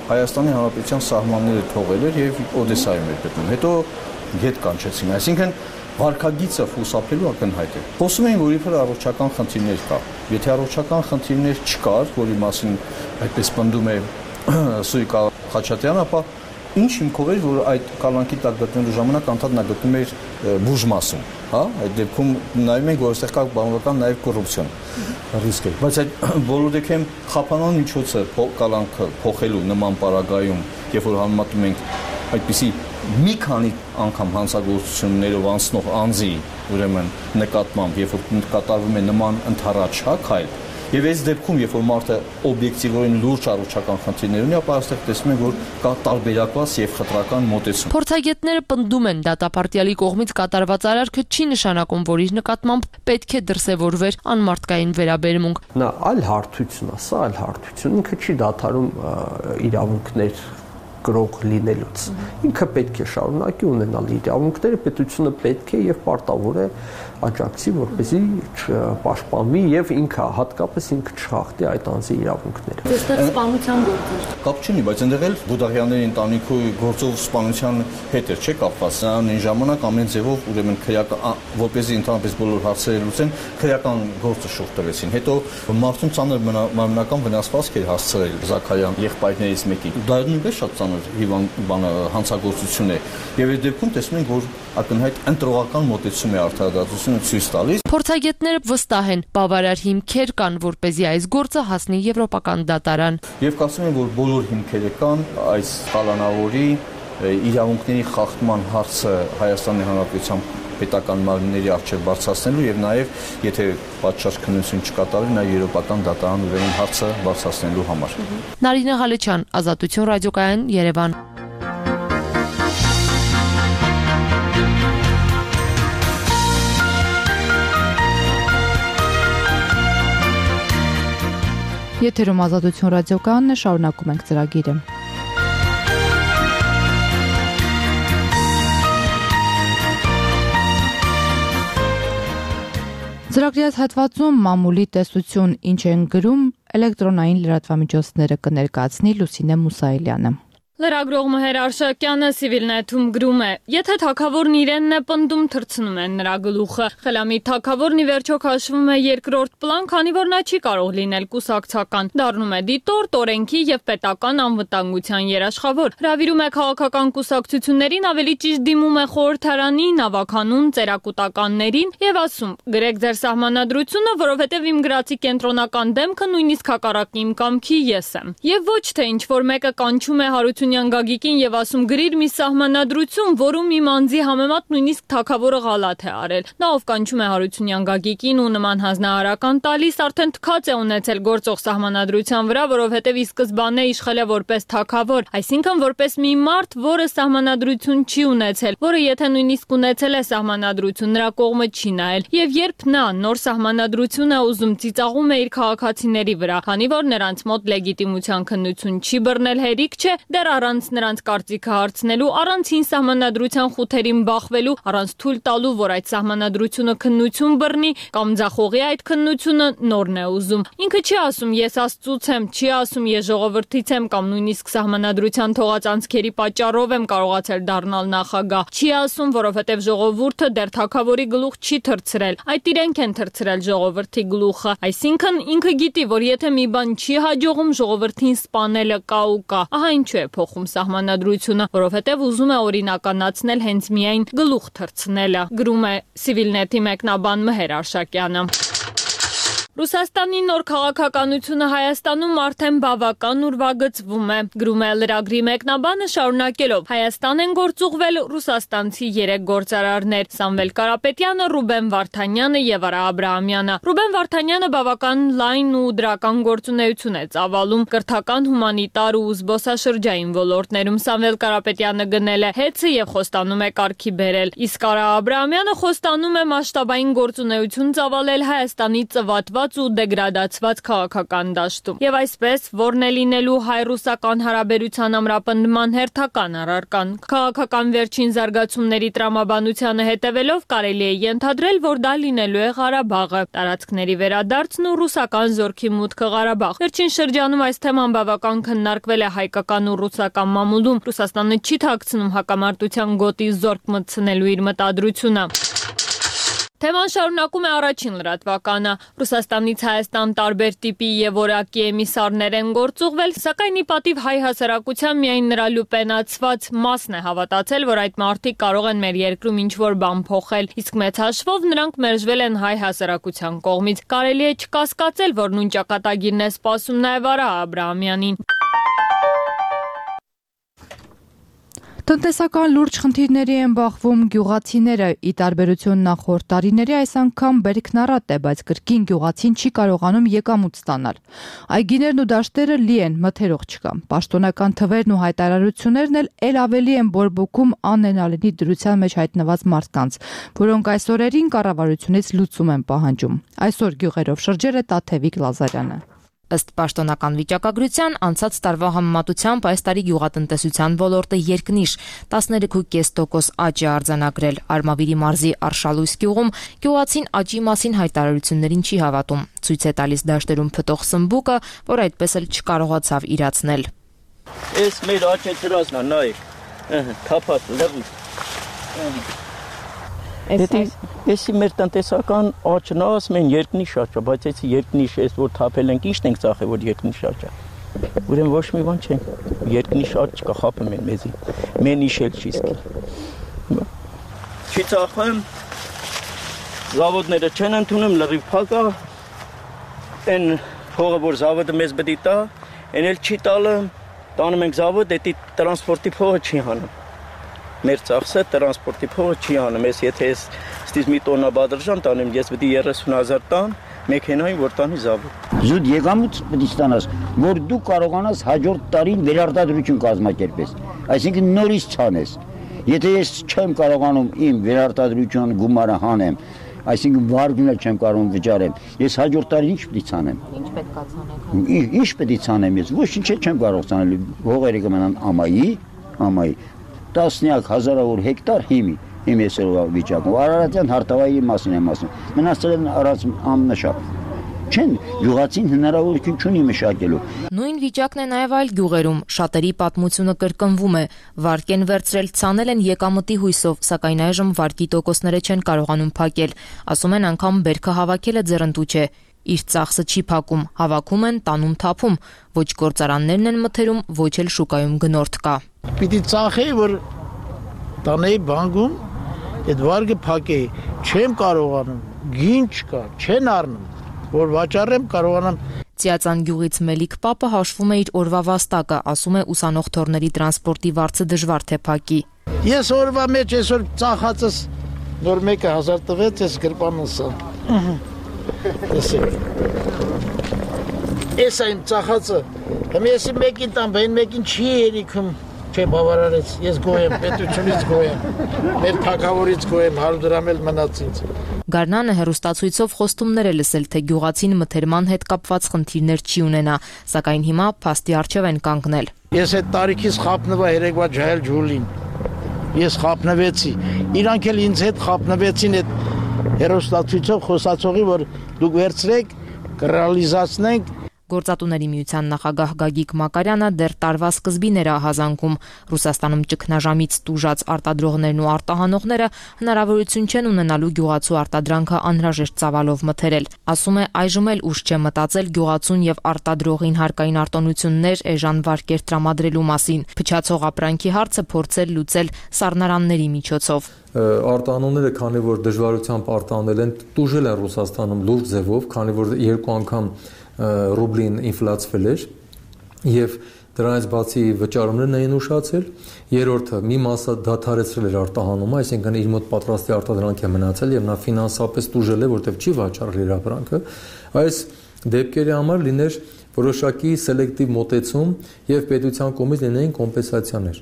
Հայաստանի Հանրապետության սահմանները թողել էր եւ Օդեսայում էր գտնում։ Հետո հետ կանչեցին, այսինքն վարկագիծը խուսափելու ակնհայտ է։ Խոսում էին, որ իբր առողջական խնդիրներ կա։ Եթե առողջական խնդիրներ չկար, որի մասին այդպես պնդում է Սույկա Խաչատյանը, ապա ինչ հիմքով էր, որ այդ կալանքի տակ գտնելու ժամանակ անդադար նա գտնում էր բուժմասում, հա, այդ դեպքում նայում ենք, որ այստեղ կա բավական նաև կոռուպցիոն ռիսկ է, բայց այդ բոլոր դեպքերում խափանման միջոցը կալանքը փոխելու նման պարագայում, երբ որ համեմատում ենք այդպիսի մի քանի անգամ հանցագործություններով անցնող անձի ուրեմն նկատմամբ, երբ որ կատարվում է նման ընդառաջակ հայլ, եւ այս դեպքում, երբ որ մարդը օբյեկտիվորեն լուրջ առողջական խնդիրներ ունի, ապա այստեղ տեսնում ենք, որ կա տարբերակված եւ խտրական մոտեցում։ Փորձագետները պնդում են, դատապարտյալի կողմից կատարված արարքը չի նշանակում, որ իր նկատմամբ պետք է դրսևորվեր անմարդկային վերաբերմունք։ Նա այլ հարթություն է, սա այլ հարթություն, ինքը չի դադարում իրավունքներ գրող լինելուց։ Ինքը պետք է շարունակի ունենալ իրավունքները, պետությունը պետք է եւ պարտավոր է աջակցի, որպեսզի պաշտպանվի եւ ինքը հատկապես ինքը չխախտի այդ անձի իրավունքները։ Այստեղ սպանության գործ է։ Կապ չունի, բայց այնտեղ էլ Բուդաղյանների ընտանիքի գործով սպանության հետ էր, չէ՞ կապված։ Նրան ժամանակ ամեն ձևով ուրեմն քրեական, որպեսզի ընդհանրապես բոլոր հարցերը լուծեն, քրեական գործը շուտ տվեցին։ Հետո մարդուն ծանր մարմնական վնասվածք էր հասցրել Զաքարյան եղբայրներից մեկի։ Դա նույնպես շատ հանցագործություն է եւ այդ դեպքում տեսնում ենք, որ ակնհայտ ընտրողական մոտեցում է արդարադատությունը ակտիվությունը ցույց տալիս։ Փորձագետները վստահ են, բավարար հիմքեր կան, որպեսզի այս գործը հասնի եվրոպական դատարան։ Եվ կարծում եմ, որ բոլոր հիմքերը կան այս կալանավորի իրավունքների խախտման հարցը Հայաստանի Հանրապետության պետական մարմինների առջև բարձրացնելու եւ նաեւ եթե պատշաճ քննություն չկատարվի նաեւ եվրոպական դատարան ուրեմն հարցը բարձրացնելու համար։ Նարինե Ղալեչյան, Ազատություն ռադիոկայան, Երևան։ Եթերում Ազատություն ռադիոկայանն է, շարունակում ենք ծրագիրը։ Ծրագրի հատվածում մամուլի տեսություն ինչ են գրում էլեկտրոնային լրատվամիջոցները կներկայացնի Լուսինե Մուսայելյանը։ Լրագրող Մհեր Արշակյանը Civilnet-ում գրում է. Եթե թագավորն իրենն է պնդում, թռցնում են նրա գլուխը։ Խելամիտ թագավորն ի վերջո քաշվում է երկրորդ պլան, քանի որ նա չի կարող լինել կուսակցական։ Դառնում է դիտորդ, օրենքի եւ պետական անվտանգության երաշխավոր։ Հրավիրում է քաղաքական կուսակցություններին, ավելի ճիշտ դիմում է խորհրդարանի, նավականուն, ծերակուտականներին եւ ասում. գրեք ձեր սահմանադրությունը, որովհետեւ իմ գրացի կենտրոնական դեմքը նույնիսկ հակառակ իմ կամքի ես եմ։ Եվ ոչ թե ինչ որ մեկը կանչում է Հարություն Գագիկին եւ ասում գրիր մի սահմանադրություն, որում իմ անձի համեմատ նույնիսկ թագավորը գալաթ է արել։ Նա ով կանչում է Հարությունյան Գագիկին ու նման հանձնարարական տալիս, արդեն թքած է ունեցել գործող սահմանադրության վրա, որովհետեւ ի սկզբանե իշխել է որպես թագավոր, այսինքն որպես մի մարդ, որը սահմանադրություն չի ունեցել, որը եթե նույնիսկ ունեցել է սահմանադրություն, նրա կողմը չի նայել։ Եվ երբ նա նոր սահմանադրություն է ուզում, ծիծաղում է իր քաղաքացիների վրա, քանի որ նրանց մոտ լեգիտիմության քննություն չի բռնել, հերիք չէ, դեռ առանց նրանց կարծիքը հարցնելու, առանց հին սահմանադրության խութերին բախվելու, առանց թույլ տալու, որ այդ սահմանադրությունը քննություն բռնի կամ ձախողի այդ քննությունը, նորն է ուզում։ Ինքը չի ասում ես Աստծուց եմ, չի ասում ես ժողովրդից եմ կամ նույնիսկ սահմանադրության թողած անցքերի պատճառով եմ կարողացել դառնալ նախագահ։ Չի ասում, որովհետև ժողովուրդը դեռ թագավորի գլուխ չի թռցրել։ Այդ իրենք են թռցրել ժողովրդի գլուխը։ Այսինքն ինքը գիտի, որ եթե մի բան չի հաջողում, ժողովրդին սպանելը կա ու կա։ Ահա ինչու է փոխում սահմանադրությունը, որովհետև ուզում է օրինականացնել հենց միայն գլուխ թռցնելը, գրում է Civilnet-ի մեկնաբան Մհեր Արշակյանը։ Ռուսաստանի նոր քաղաքականությունը Հայաստանում արդեն բավական ուրվագծվում է, գրում է լրագրի մեկնաբանը շարունակելով. Հայաստան են գործուղվել ռուսաստանցի 3 գործարարներ՝ Սամվել Կարապետյանը, Ռուբեն Վարդանյանը եւ Արա Աբրահամյանը։ Ռուբեն Վարդանյանը բավական լայն ու դրական գործունեություն է ծավալում կրթական, հումանիտար ու զբոսաշրջային ոլորտներում։ Սամվել Կարապետյանը գնել է հեծը եւ խոստանում է կարգի բերել, իսկ Արա Աբրահամյանը խոստանում է մասշտաբային գործունեություն ծավալել Հայաստանի ծվատված ու դեգրադացված քաղաքական դաշտում։ Եվ այսպես, որն է լինելու հայ-ռուսական հարաբերության ամրապնդման հերթական առարկան։ Քաղաքական վերջին զարգացումների տրամաբանությանը հետևելով կարելի է ենթադրել, որ դա լինելու է Ղարաբաղը, տարածքների վերադարձն ու ռուսական զորքի մուտքը Ղարաբաղ։ Վերջին շրջանում այս թեման բավական քննարկվել է հայկական ու ռուսական մամուլում։ Ռուսաստանը չի թաքցնում հակամարտության գոտի զորք մտցնելու իր մտադրությունը։ Թեման շարունակում է առաջին լրատվականը։ Ռուսաստանից Հայաստան տարբեր տիպի եւ որակի էմիսարներ են գործուղվել, սակայն ի պատիվ հայ հասարակության միայն նրա լուպենացված մասն է հավատացել, որ այդ մարդիկ կարող են մեր երկրում ինչ-որ բան փոխել, իսկ մեծ հաշվով նրանք մերժվել են հայ հասարակության կողմից։ Կարելի է չկասկածել, որ նույն ճակատագիրն է սպասում նաեւ Արա Աբրահամյանին։ Տնտեսական լուրջ խնդիրների են բախվում գյուղացիները, ի տարբերություն նախորդ տարիների այս անգամ բերքնառատ է, բայց կրկին գյուղացին չի կարողանում եկամուտ ստանալ։ Այգիներն ու դաշտերը լի են, մթերող չկա։ Պաշտոնական թվերն ու հայտարարություններն էլ ավելի են բորբոքում անենալի դրության մեջ հայտնված մարդկանց, որոնք այս օրերին կառավարությունից լուծում են պահանջում։ Այսօր գյուղերով շրջել է Տաթևիկ Լազարյանը։ Ըստ պաշտոնական վիճակագրության, անցած տարվա համեմատությամբ այս տարի գյուղատնտեսության ոլորտը երկնիշ 13.5% աճ է արձանագրել։ Արմավիրի մարզի Արշալույս գյուղում գյուղացին աճի մասին հայտարարություններին չի հավատում։ Ցույց է տալիս դաշտերում փտող սմբուկը, որ այդպես էլ չկարողացավ իրացնել։ Էս մեր աճեցրածն է, նայեք։ Թափած, լրիվ։ Էսի մեր տնտեսական աճն է, ասում են երկնիշ աճ է, բայց էսի երկնիշ էս որ թափել ենք, ի՞նչն ենք ծախել, որ երկնիշ աճ է։ Ուրեմն ոչ մի բան չենք, երկնիշ աճ չկա, խափում են մեզի։ Մեն իշել չի սկի։ Չի ծախեմ, Զավոդները չեն ընդունում, լրիվ փակ է։ Այն փողը, որ զավոդը մեզ պետք է տա, այն էլ չի տալը, տանում ենք զավոդ, դա տրանսպորտի փողը չի հանում։ Մեր ծախսը տրանսպորտի փողը չի հանում, ես եթե ես ստից մի տոննա բادرժան տանեմ, ես պետք է 30,000 տան մեքենային, որ տանի զավոդ։ Զուտ եկամուտ պետք է ստանաս, որ դու կարողանաս հաջորդ տարին վերարտադրություն կազմակերպես, այսինքն նորից ցանես։ Եթե ես չեմ կարողանում իմ վերարտադրություն գումարը հանեմ, այսինքն վարկն էլ չեմ կարող վճարեմ, ես հաջորդ տարի ինչ պետք է ցանեմ։ Ինչ պետք է ցանեք։ Ինչ պետք է ցանեմ ես, ոչինչ չեմ կարող ցանել, հողերը կմնան ամայի, տասնյակ հազարավոր հեկտար հիմի վիճակում, Արարատյան Հարտավայրի մասին եմ ասում, մնացել են առած ամնաշապ։ Չեն գյուղացին հնարավորություն չունի մշակելու։ Նույն վիճակն է նաև այլ գյուղերում, շատերի պատմությունը կրկնվում է, վարկ են վերցրել, ցանել են եկամտի հույսով, սակայն այժմ վարկի տոկոսները չեն կարողանում փակել, ասում են անգամ բերքը հավաքելը ձեռնտու չէ, իր ծախսը չի փակում, հավաքում են, տանում թափում, ոչ գործարաններն են մթերում, ոչ էլ շուկայում գնորդ կա։ Պիտի ծախեի, որ տանեի բանկում, այդ վարկը փակեի, չեմ կարողանում, գին չկա, չեն առնում, որ վաճառեմ կարողանամ։ Ծիածան գյուղից Մելիք Պապը հաշվում է իր օրվա վաստակը, ասում է ուսանող թորների տրանսպորտի վարձը դժվար թե փակի։ Ես օրվա մեջ այսօր ծախածս նոր մեկը 1000 տվեց, ես գրպանս։ Ես այն ծախածը, ես մեկին տամ, բայն մեկին չի երիքում, չէ բավարարեց, ես գոյ եմ, պետությունից գոյ եմ, մեր թագավորից գոյ եմ, 100 դրամ էլ մնաց ինձ։ Գարնանը հեռուստացույցով խոստումներ է լսել, թե գյուղացին մթերման հետ կապված խնդիրներ չի ունենա, սակայն հիմա փաստի առջև են կանգնել։ Ես այդ տարիքից խապնվա երեկվա ջահել ջուլին, ես խապնվեցի, իրանք էլ ինձ հետ խապնվեցին այդ հեռուստացույցով խոսացողի, որ դուք վերցրեք, կռեալիզացնենք։ Գործատուների միության նախագահ Գագիկ Մակարյանը դեռ տարվա սկզբին էր ահազանգում Ռուսաստանում ճգնաժամից տուժած արտադրողներն ու արտահանողները հնարավորություն չեն ունենալու գյուղացու արտադրանքը անհրաժեշտ ծավալով մթերել։ Ասում է այժմ էլ ուշ չէ մտածել գյուղացուն եւ արտադրողին հարկային արտոնություններ էժան վարկեր տրամադրելու մասին։ Փչացող ապրանքի հարցը փորձել լուծել սառնարանների միջոցով։ Արտահանողները, քանի որ դժվարությամբ արտահանել են, տուժել են Ռուսաստանում լուրջ ձևով, քանի որ երկու անգամ ռուբլին ինֆլացվել էր եւ դրանից բացի վճարումներն էին ուշացել, երրորդը մի մասը դադարեցրել էր արտահանումը, այսինքն իր մոտ պատրաստի արտադրանք է մնացել եւ նա ֆինանսապես տուժել է, որտեղ չի վաճառել իր ապրանքը։ Այս դեպքերի համար լիներ որոշակի սելեկտիվ մոտեցում եւ պետության կողմից լինեին կոմպենսացիաներ։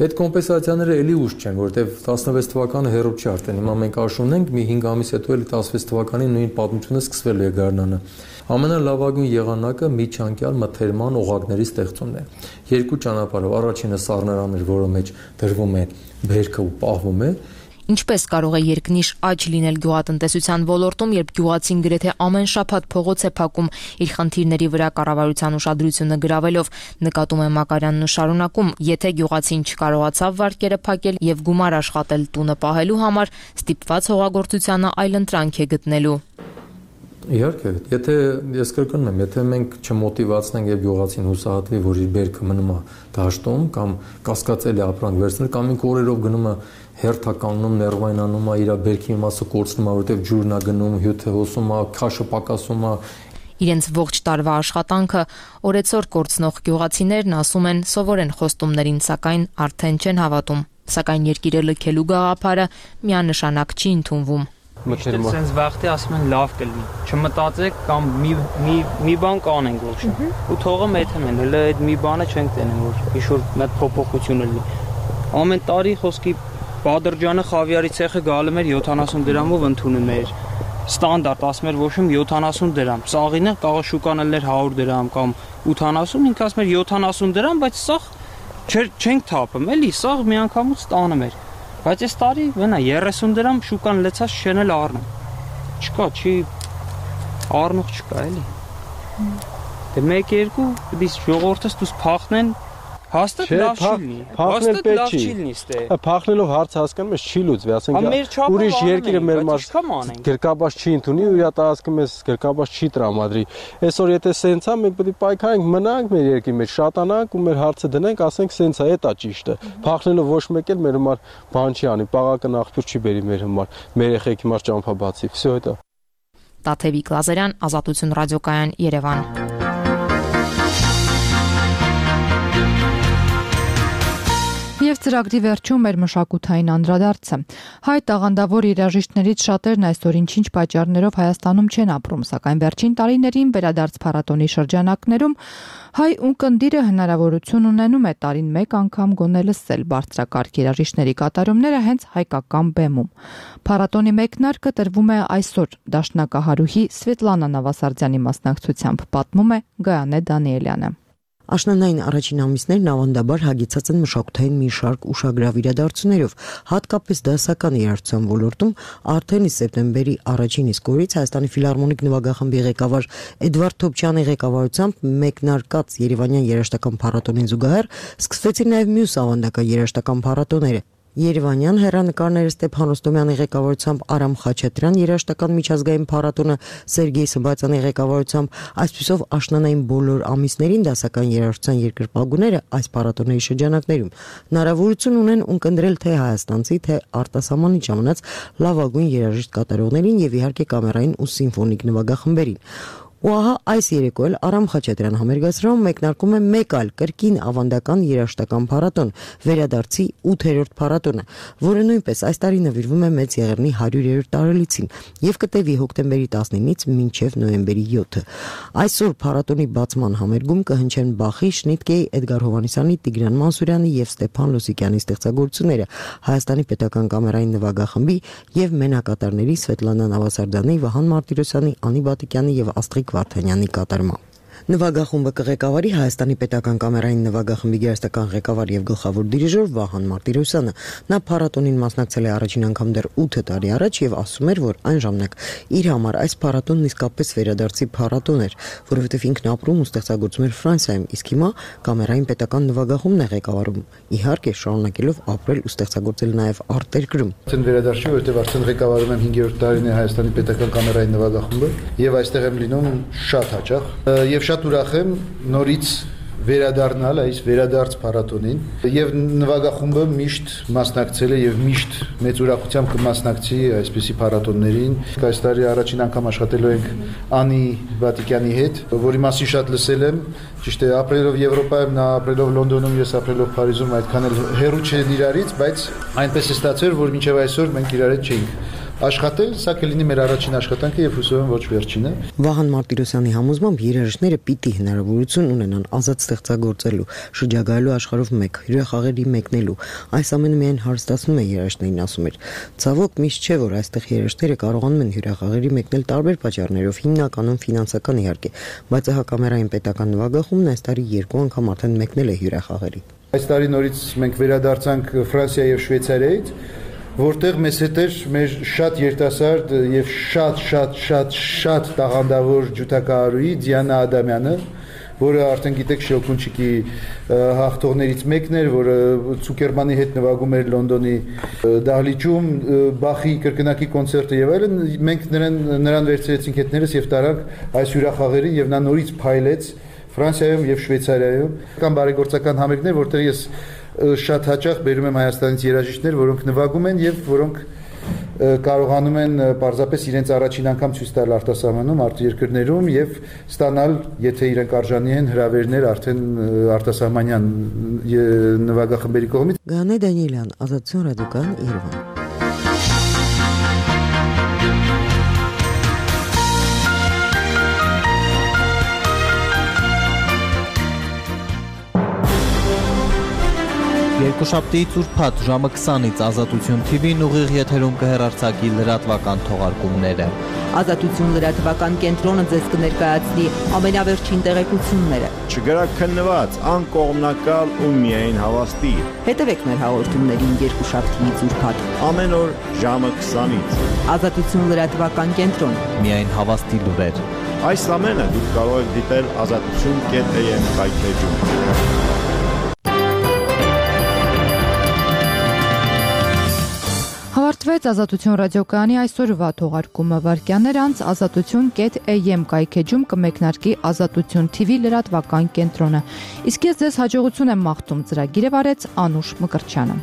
Այդ կոմպենսացիաները էլի ուշ չեն, որտեղ 16 թվականը հեռու չի արդեն։ Հիմա մենք աշուն ենք, մի 5 ամիս հետո էլի 16 թվականի նույն պատմությունը սկսվել է Գարնանը։ Ամենալավագույն եղանակը միջանկյալ մթերման օղակների ստեղծումն է։ Երկու ճանապարհով, առաջինը սառնարաններ, որը մեջ դրվում է բերքը ու պահվում է։ Ինչպես կարող է երկնիշ աճ լինել գյուղատնտեսության ոլորտում, երբ գյուղացին գրեթե ամեն շաբաթ փողոց է փակում իր խնդիրների վրա կառավարության ուշադրությունը գրավելով, նկատում է Մակարյանն ու շարունակում, եթե գյուղացին չկարողացավ վարկերը փակել եւ գումար աշխատել տունը պահելու համար, ստիպված հողագործությանը այլընտրանք է գտնելու։ Իհարկե, եթե ես կրկնում եմ, եթե մենք չմոտիվացնենք եւ գյուղացին հուսահատվի, որ իր բերքը մնում է դաշտում կամ կասկածելի ապրանք վերցնել, կամ ինքը օրերով գնում է հերթականում, ներվայնանում է, իր բերքի մասը կորցնում է, որովհետեւ ջուրն է գնում, հյութը հոսում է, քաշը պակասում է։ Իրենց ողջ տարվա աշխատանքը օրեցօր կորցնող գյուղացիներն ասում են սովոր են խոստումներին, սակայն արդեն չեն հավատում։ Սակայն երկիրը լքելու գաղափարը միանշանակ չի ընդունվում։ Sense վախտի ասում են լավ կլինի։ Չմտածեք կամ մի բան կանենք ոչ։ Ու թողը մեթում են, հələ այդ մի բանը չենք տենում, որ ինչ-որ մեծ փոփոխություն լինի։ Ամեն տարի խոսքի Բադրջյանը խավիարի ցեխը գալու էր 70 դրամով ընդունում էր։ Ստանդարտ ասում էր ոչմ 70 դրամ։ Սաղինը կարող շուկանել էր 100 դրամ կամ 80, ինքը ասում էր 70 դրամ, բայց սաղ չենք թափում, էլի սաղ մի անգամից ստանում էր։ Բայց այս տարի վնա 30 դրամ շուկան լեցած չեն էլ առնում։ Չկա, չի առնող չկա էլի։ Դե 1-2 դից ժողովուրդս դուս փախնեն Հաստատ լավ չի լինի։ Հաստատ լավ չի լինի ստե։ Փախնելով հարց հասկանում ես չի լուծվի, ասենք ուրիշ երկիրը մեր մարդ գրկաբաց չի ընդունի ու իր տարածքը մեզ գրկաբաց չի տրամադրի։ Այսօր եթե սենց է, մենք պետք է պայքարենք, մնանք մեր երկրի մեջ, շատանանք ու մեր հարցը դնենք, ասենք սենց է, դա ճիշտ է։ Փախնելով ոչ մեկ էլ մեր համար բան չի անի, պաղակն աղբյուր չի բերի մեր համար, մեր երեխեքի համար ճամփաբացի։ Всё это։ Տաթևիկ Լազարյան, Ազատություն ռադիոկայան, Երևան։ Եվ ծրագրի վերջում մեր մշակութային անդրադարձը։ Հայ տաղանդավոր երաժիշտներից շատերն այսօր ինչ-ինչ պատճառներով Հայաստանում չեն ապրում, սակայն վերջին տարիներին վերադարձ փառատոնի շրջանակներում հայ ունկնդիրը հնարավորություն ունենում է տարին մեկ անգամ գոնե լսել բարձրակարգ երաժիշտների կատարումները հենց հայկական բեմում։ Փառատոնի մեկնարկը տրվում է այսօր դաշնակահարուհի Սվետլանա Նավասարդյանի մասնակցությամբ, պատմում է Գայանե Դանիելյանը։ Աշնանային առաջին ամիսներն ավանդաբար հագեցած են մշակութային մի շարք ուշագրավ իրադարձություններով, հատկապես դասական երաժշտության ոլորտում արդեն սեպտեմբերի առաջին իսկ օրից Հայաստանի ֆիլհարմոնիկ նվագախմբի ղեկավար Էդվարդ Թոփչյանի ղեկավարությամբ մեկնարկած Երևանյան երաժշտական փառատոնին զուգահեռ սկսվեցին նաև մյուս ավանդական երաժշտական փառատոները։ Երևանյան հեռանկարները Ստեփան Ռոստոմյանի ղեկավարությամբ Արամ Խաչատրյան երաժշտական միջազգային փառատոնը Սերգեյ Սմբացյանի ղեկավարությամբ այսպիսով աշնանային բոլոր ամիսներին դասական երաժշտության երկրպագուները այս փառատոնների շրջանակներում հնարավորություն ունեն ունկնդրել թե հայաստանցի, թե արտասահմանի ժամանած լավագույն երաժիշտ կատարողներին եւ իհարկե կամերային ու սիմֆոնիկ նվագախմբերին։ Ու ահա այս երեկո էլ Արամ Խաչատրյան համերգացրում մեկնարկում է մեկ այլ կրկին ավանդական երաժշտական փառատոն, վերադարձի 8-րդ փառատոնը, որը նույնպես այս տարի նվիրվում է Մեծ Եղեռնի 100-րդ տարելիցին եւ կտևի հոկտեմբերի 19-ից մինչեւ նոյեմբերի 7-ը։ Այսօր փառատոնի բացման համերգում կհնչեն Բախի, Շնիտկեի, Էդգար Հովհաննիսյանի, Տիգրան Մանսուրյանի եւ Ստեփան Լոսիկյանի ստեղծագործությունները, Հայաստանի պետական կամերային նվագախմբի եւ մենակատարների Սվետլանա Նավասարդյանի, Վահան Մարտիրոսյանի, Անի Բատիկյանի եւ Աստրիկ Վարդանյանի կատարմամբ։ Նվագախումբը կղեկավարի Հայաստանի պետական կամերային նվագախմբի գերստական ղեկավար եւ գլխավոր դիրիժոր Վահան Մարտիրոսյանը։ Նա փառատոնին մասնակցել է առաջին անգամ դեռ 8 տարի առաջ եւ ասում էր, որ այն ժամանակ իր համար այս փառատոնն իսկապես վերադարձի փառատոն էր, որովհետեւ ինքն ապրում ու ստեղծագործում էր Ֆրանսիայում, իսկ հիմա կամերային պետական նվագախումբն է ղեկավարում, իհարկե շարունակելով ապրել ու ստեղծագործել նաեւ արտերկրում։ Արդեն վերադարձի, որովհետեւ արդեն ղեկավարում եմ 5-րդ տարին է Հայաստանի պետական կամերային նվագախումբը եւ այստեղ եմ լինում շատ հաճախ եւ շատ ուրախ եմ նորից վերադառնալ այս վերադարձ փառատոնին եւ նվագախումբը միշտ մասնակցել է եւ միշտ մեծ ուրախությամբ կմասնակցի այսպիսի փառատոններին։ Այս տարի առաջին անգամ աշխատելու ենք Անի Բատիկյանի հետ, որի մասին շատ լսել եմ, ճիշտ է, ապրելով Եվրոպայում, նա ապրելով Լոնդոնում, ես ապրելով Փարիզում, այդքան էլ հեռու չեն իրարից, բայց այնպես է ստացվել, որ մինչեւ այսօր մենք իրար հետ չէինք աշխատել, սա կլինի մեր առաջին աշխատանքը եւ հուսով եմ ոչ վերջինը։ Վահան Մարտիրոսյանի համոզմամբ երաժիշտները պիտի հնարավորություն ունենան ազատ ստեղծագործելու, շրջագայելու աշխարհով մեկ, հյուրախաղերի մեկնելու։ Այս ամենը միայն հարստացնում է երաժիշտներին, ասում էր։ Ցավոք միշտ չէ, որ այստեղ երաժիշտները կարողանում են հյուրախաղերի մեկնել տարբեր պատճառներով, հիմնականում ֆինանսական իհարկե, բայց հակամերային պետական նվագախումբն այս տարի 2 անգամ արդեն մեկնել է հյուրախաղերի։ Այս տարի նորից մենք վերադարձանք Ֆրանսիա եւ Շվեյցարիայից, որտեղ մեզ հետ էր մեր շատ երիտասարդ եւ շատ տաղանդավոր ջութակահարուհի Դիանա Ադամյանը, որը արդեն գիտեք Շելկունչիկի հաղթողներից մեկն էր, որը Ցուկերմանի հետ նվագում էր Լոնդոնի դահլիճում, Բախի կրկնակի կոնցերտը եւ այլն։ Մենք նրան վերցրեցինք հետներս եւ տարանք այս հյուրախաղերին եւ նա նորից փայլեց Ֆրանսիայում եւ Շվեյցարիայում։ Կան բարեգործական համերգներ, որտեղ ես շատ հաճախ բերում եմ Հայաստանից երաժիշտներ, որոնք նվագում են եւ որոնք կարողանում են պարզապես իրենց առաջին անգամ ցույց տալ արտասահմանում, արտերկրներում եւ ստանալ, եթե իրենք արժանի են, հրավերներ արդեն արտասահմանյան նվագախմբերի կողմից։ Գայանե Դանիելյան, Ազատություն ռադիոկայան, Երևան։ Երկուշաբթիից ուրբաթ ժամը 20-ից Ազատություն TV-ն ուղիղ եթերում կհեռարձակի լրատվական թողարկումները։ Ազատություն լրատվական կենտրոնը ձեզ կներկայացնի ամենավերջին տեղեկությունները։ Չգրաքննված, անկողմնակալ ու միայն հավաստի։ Հետևեք մեր հաղորդումներին երկուշաբթիից ուրբաթ ամեն օր ժամը 20-ից։ Ազատություն լրատվական կենտրոն։ Միայն հավաստի լուրեր։ Այս ամենը դուք կարող եք դիտել azatutun.am-ի Ավարտվեց Ազատություն ռադիոկայանի այսօրվա թողարկումը վարքյաններ անց azatutun.am կայքեջում կմեկնարկի Ազատություն TV լրատվական կենտրոնը։ Իսկ ես ձեզ հաջողություն եմ մաղթում, ծրագիրը վարեց Անուշ Մկրտչյանը։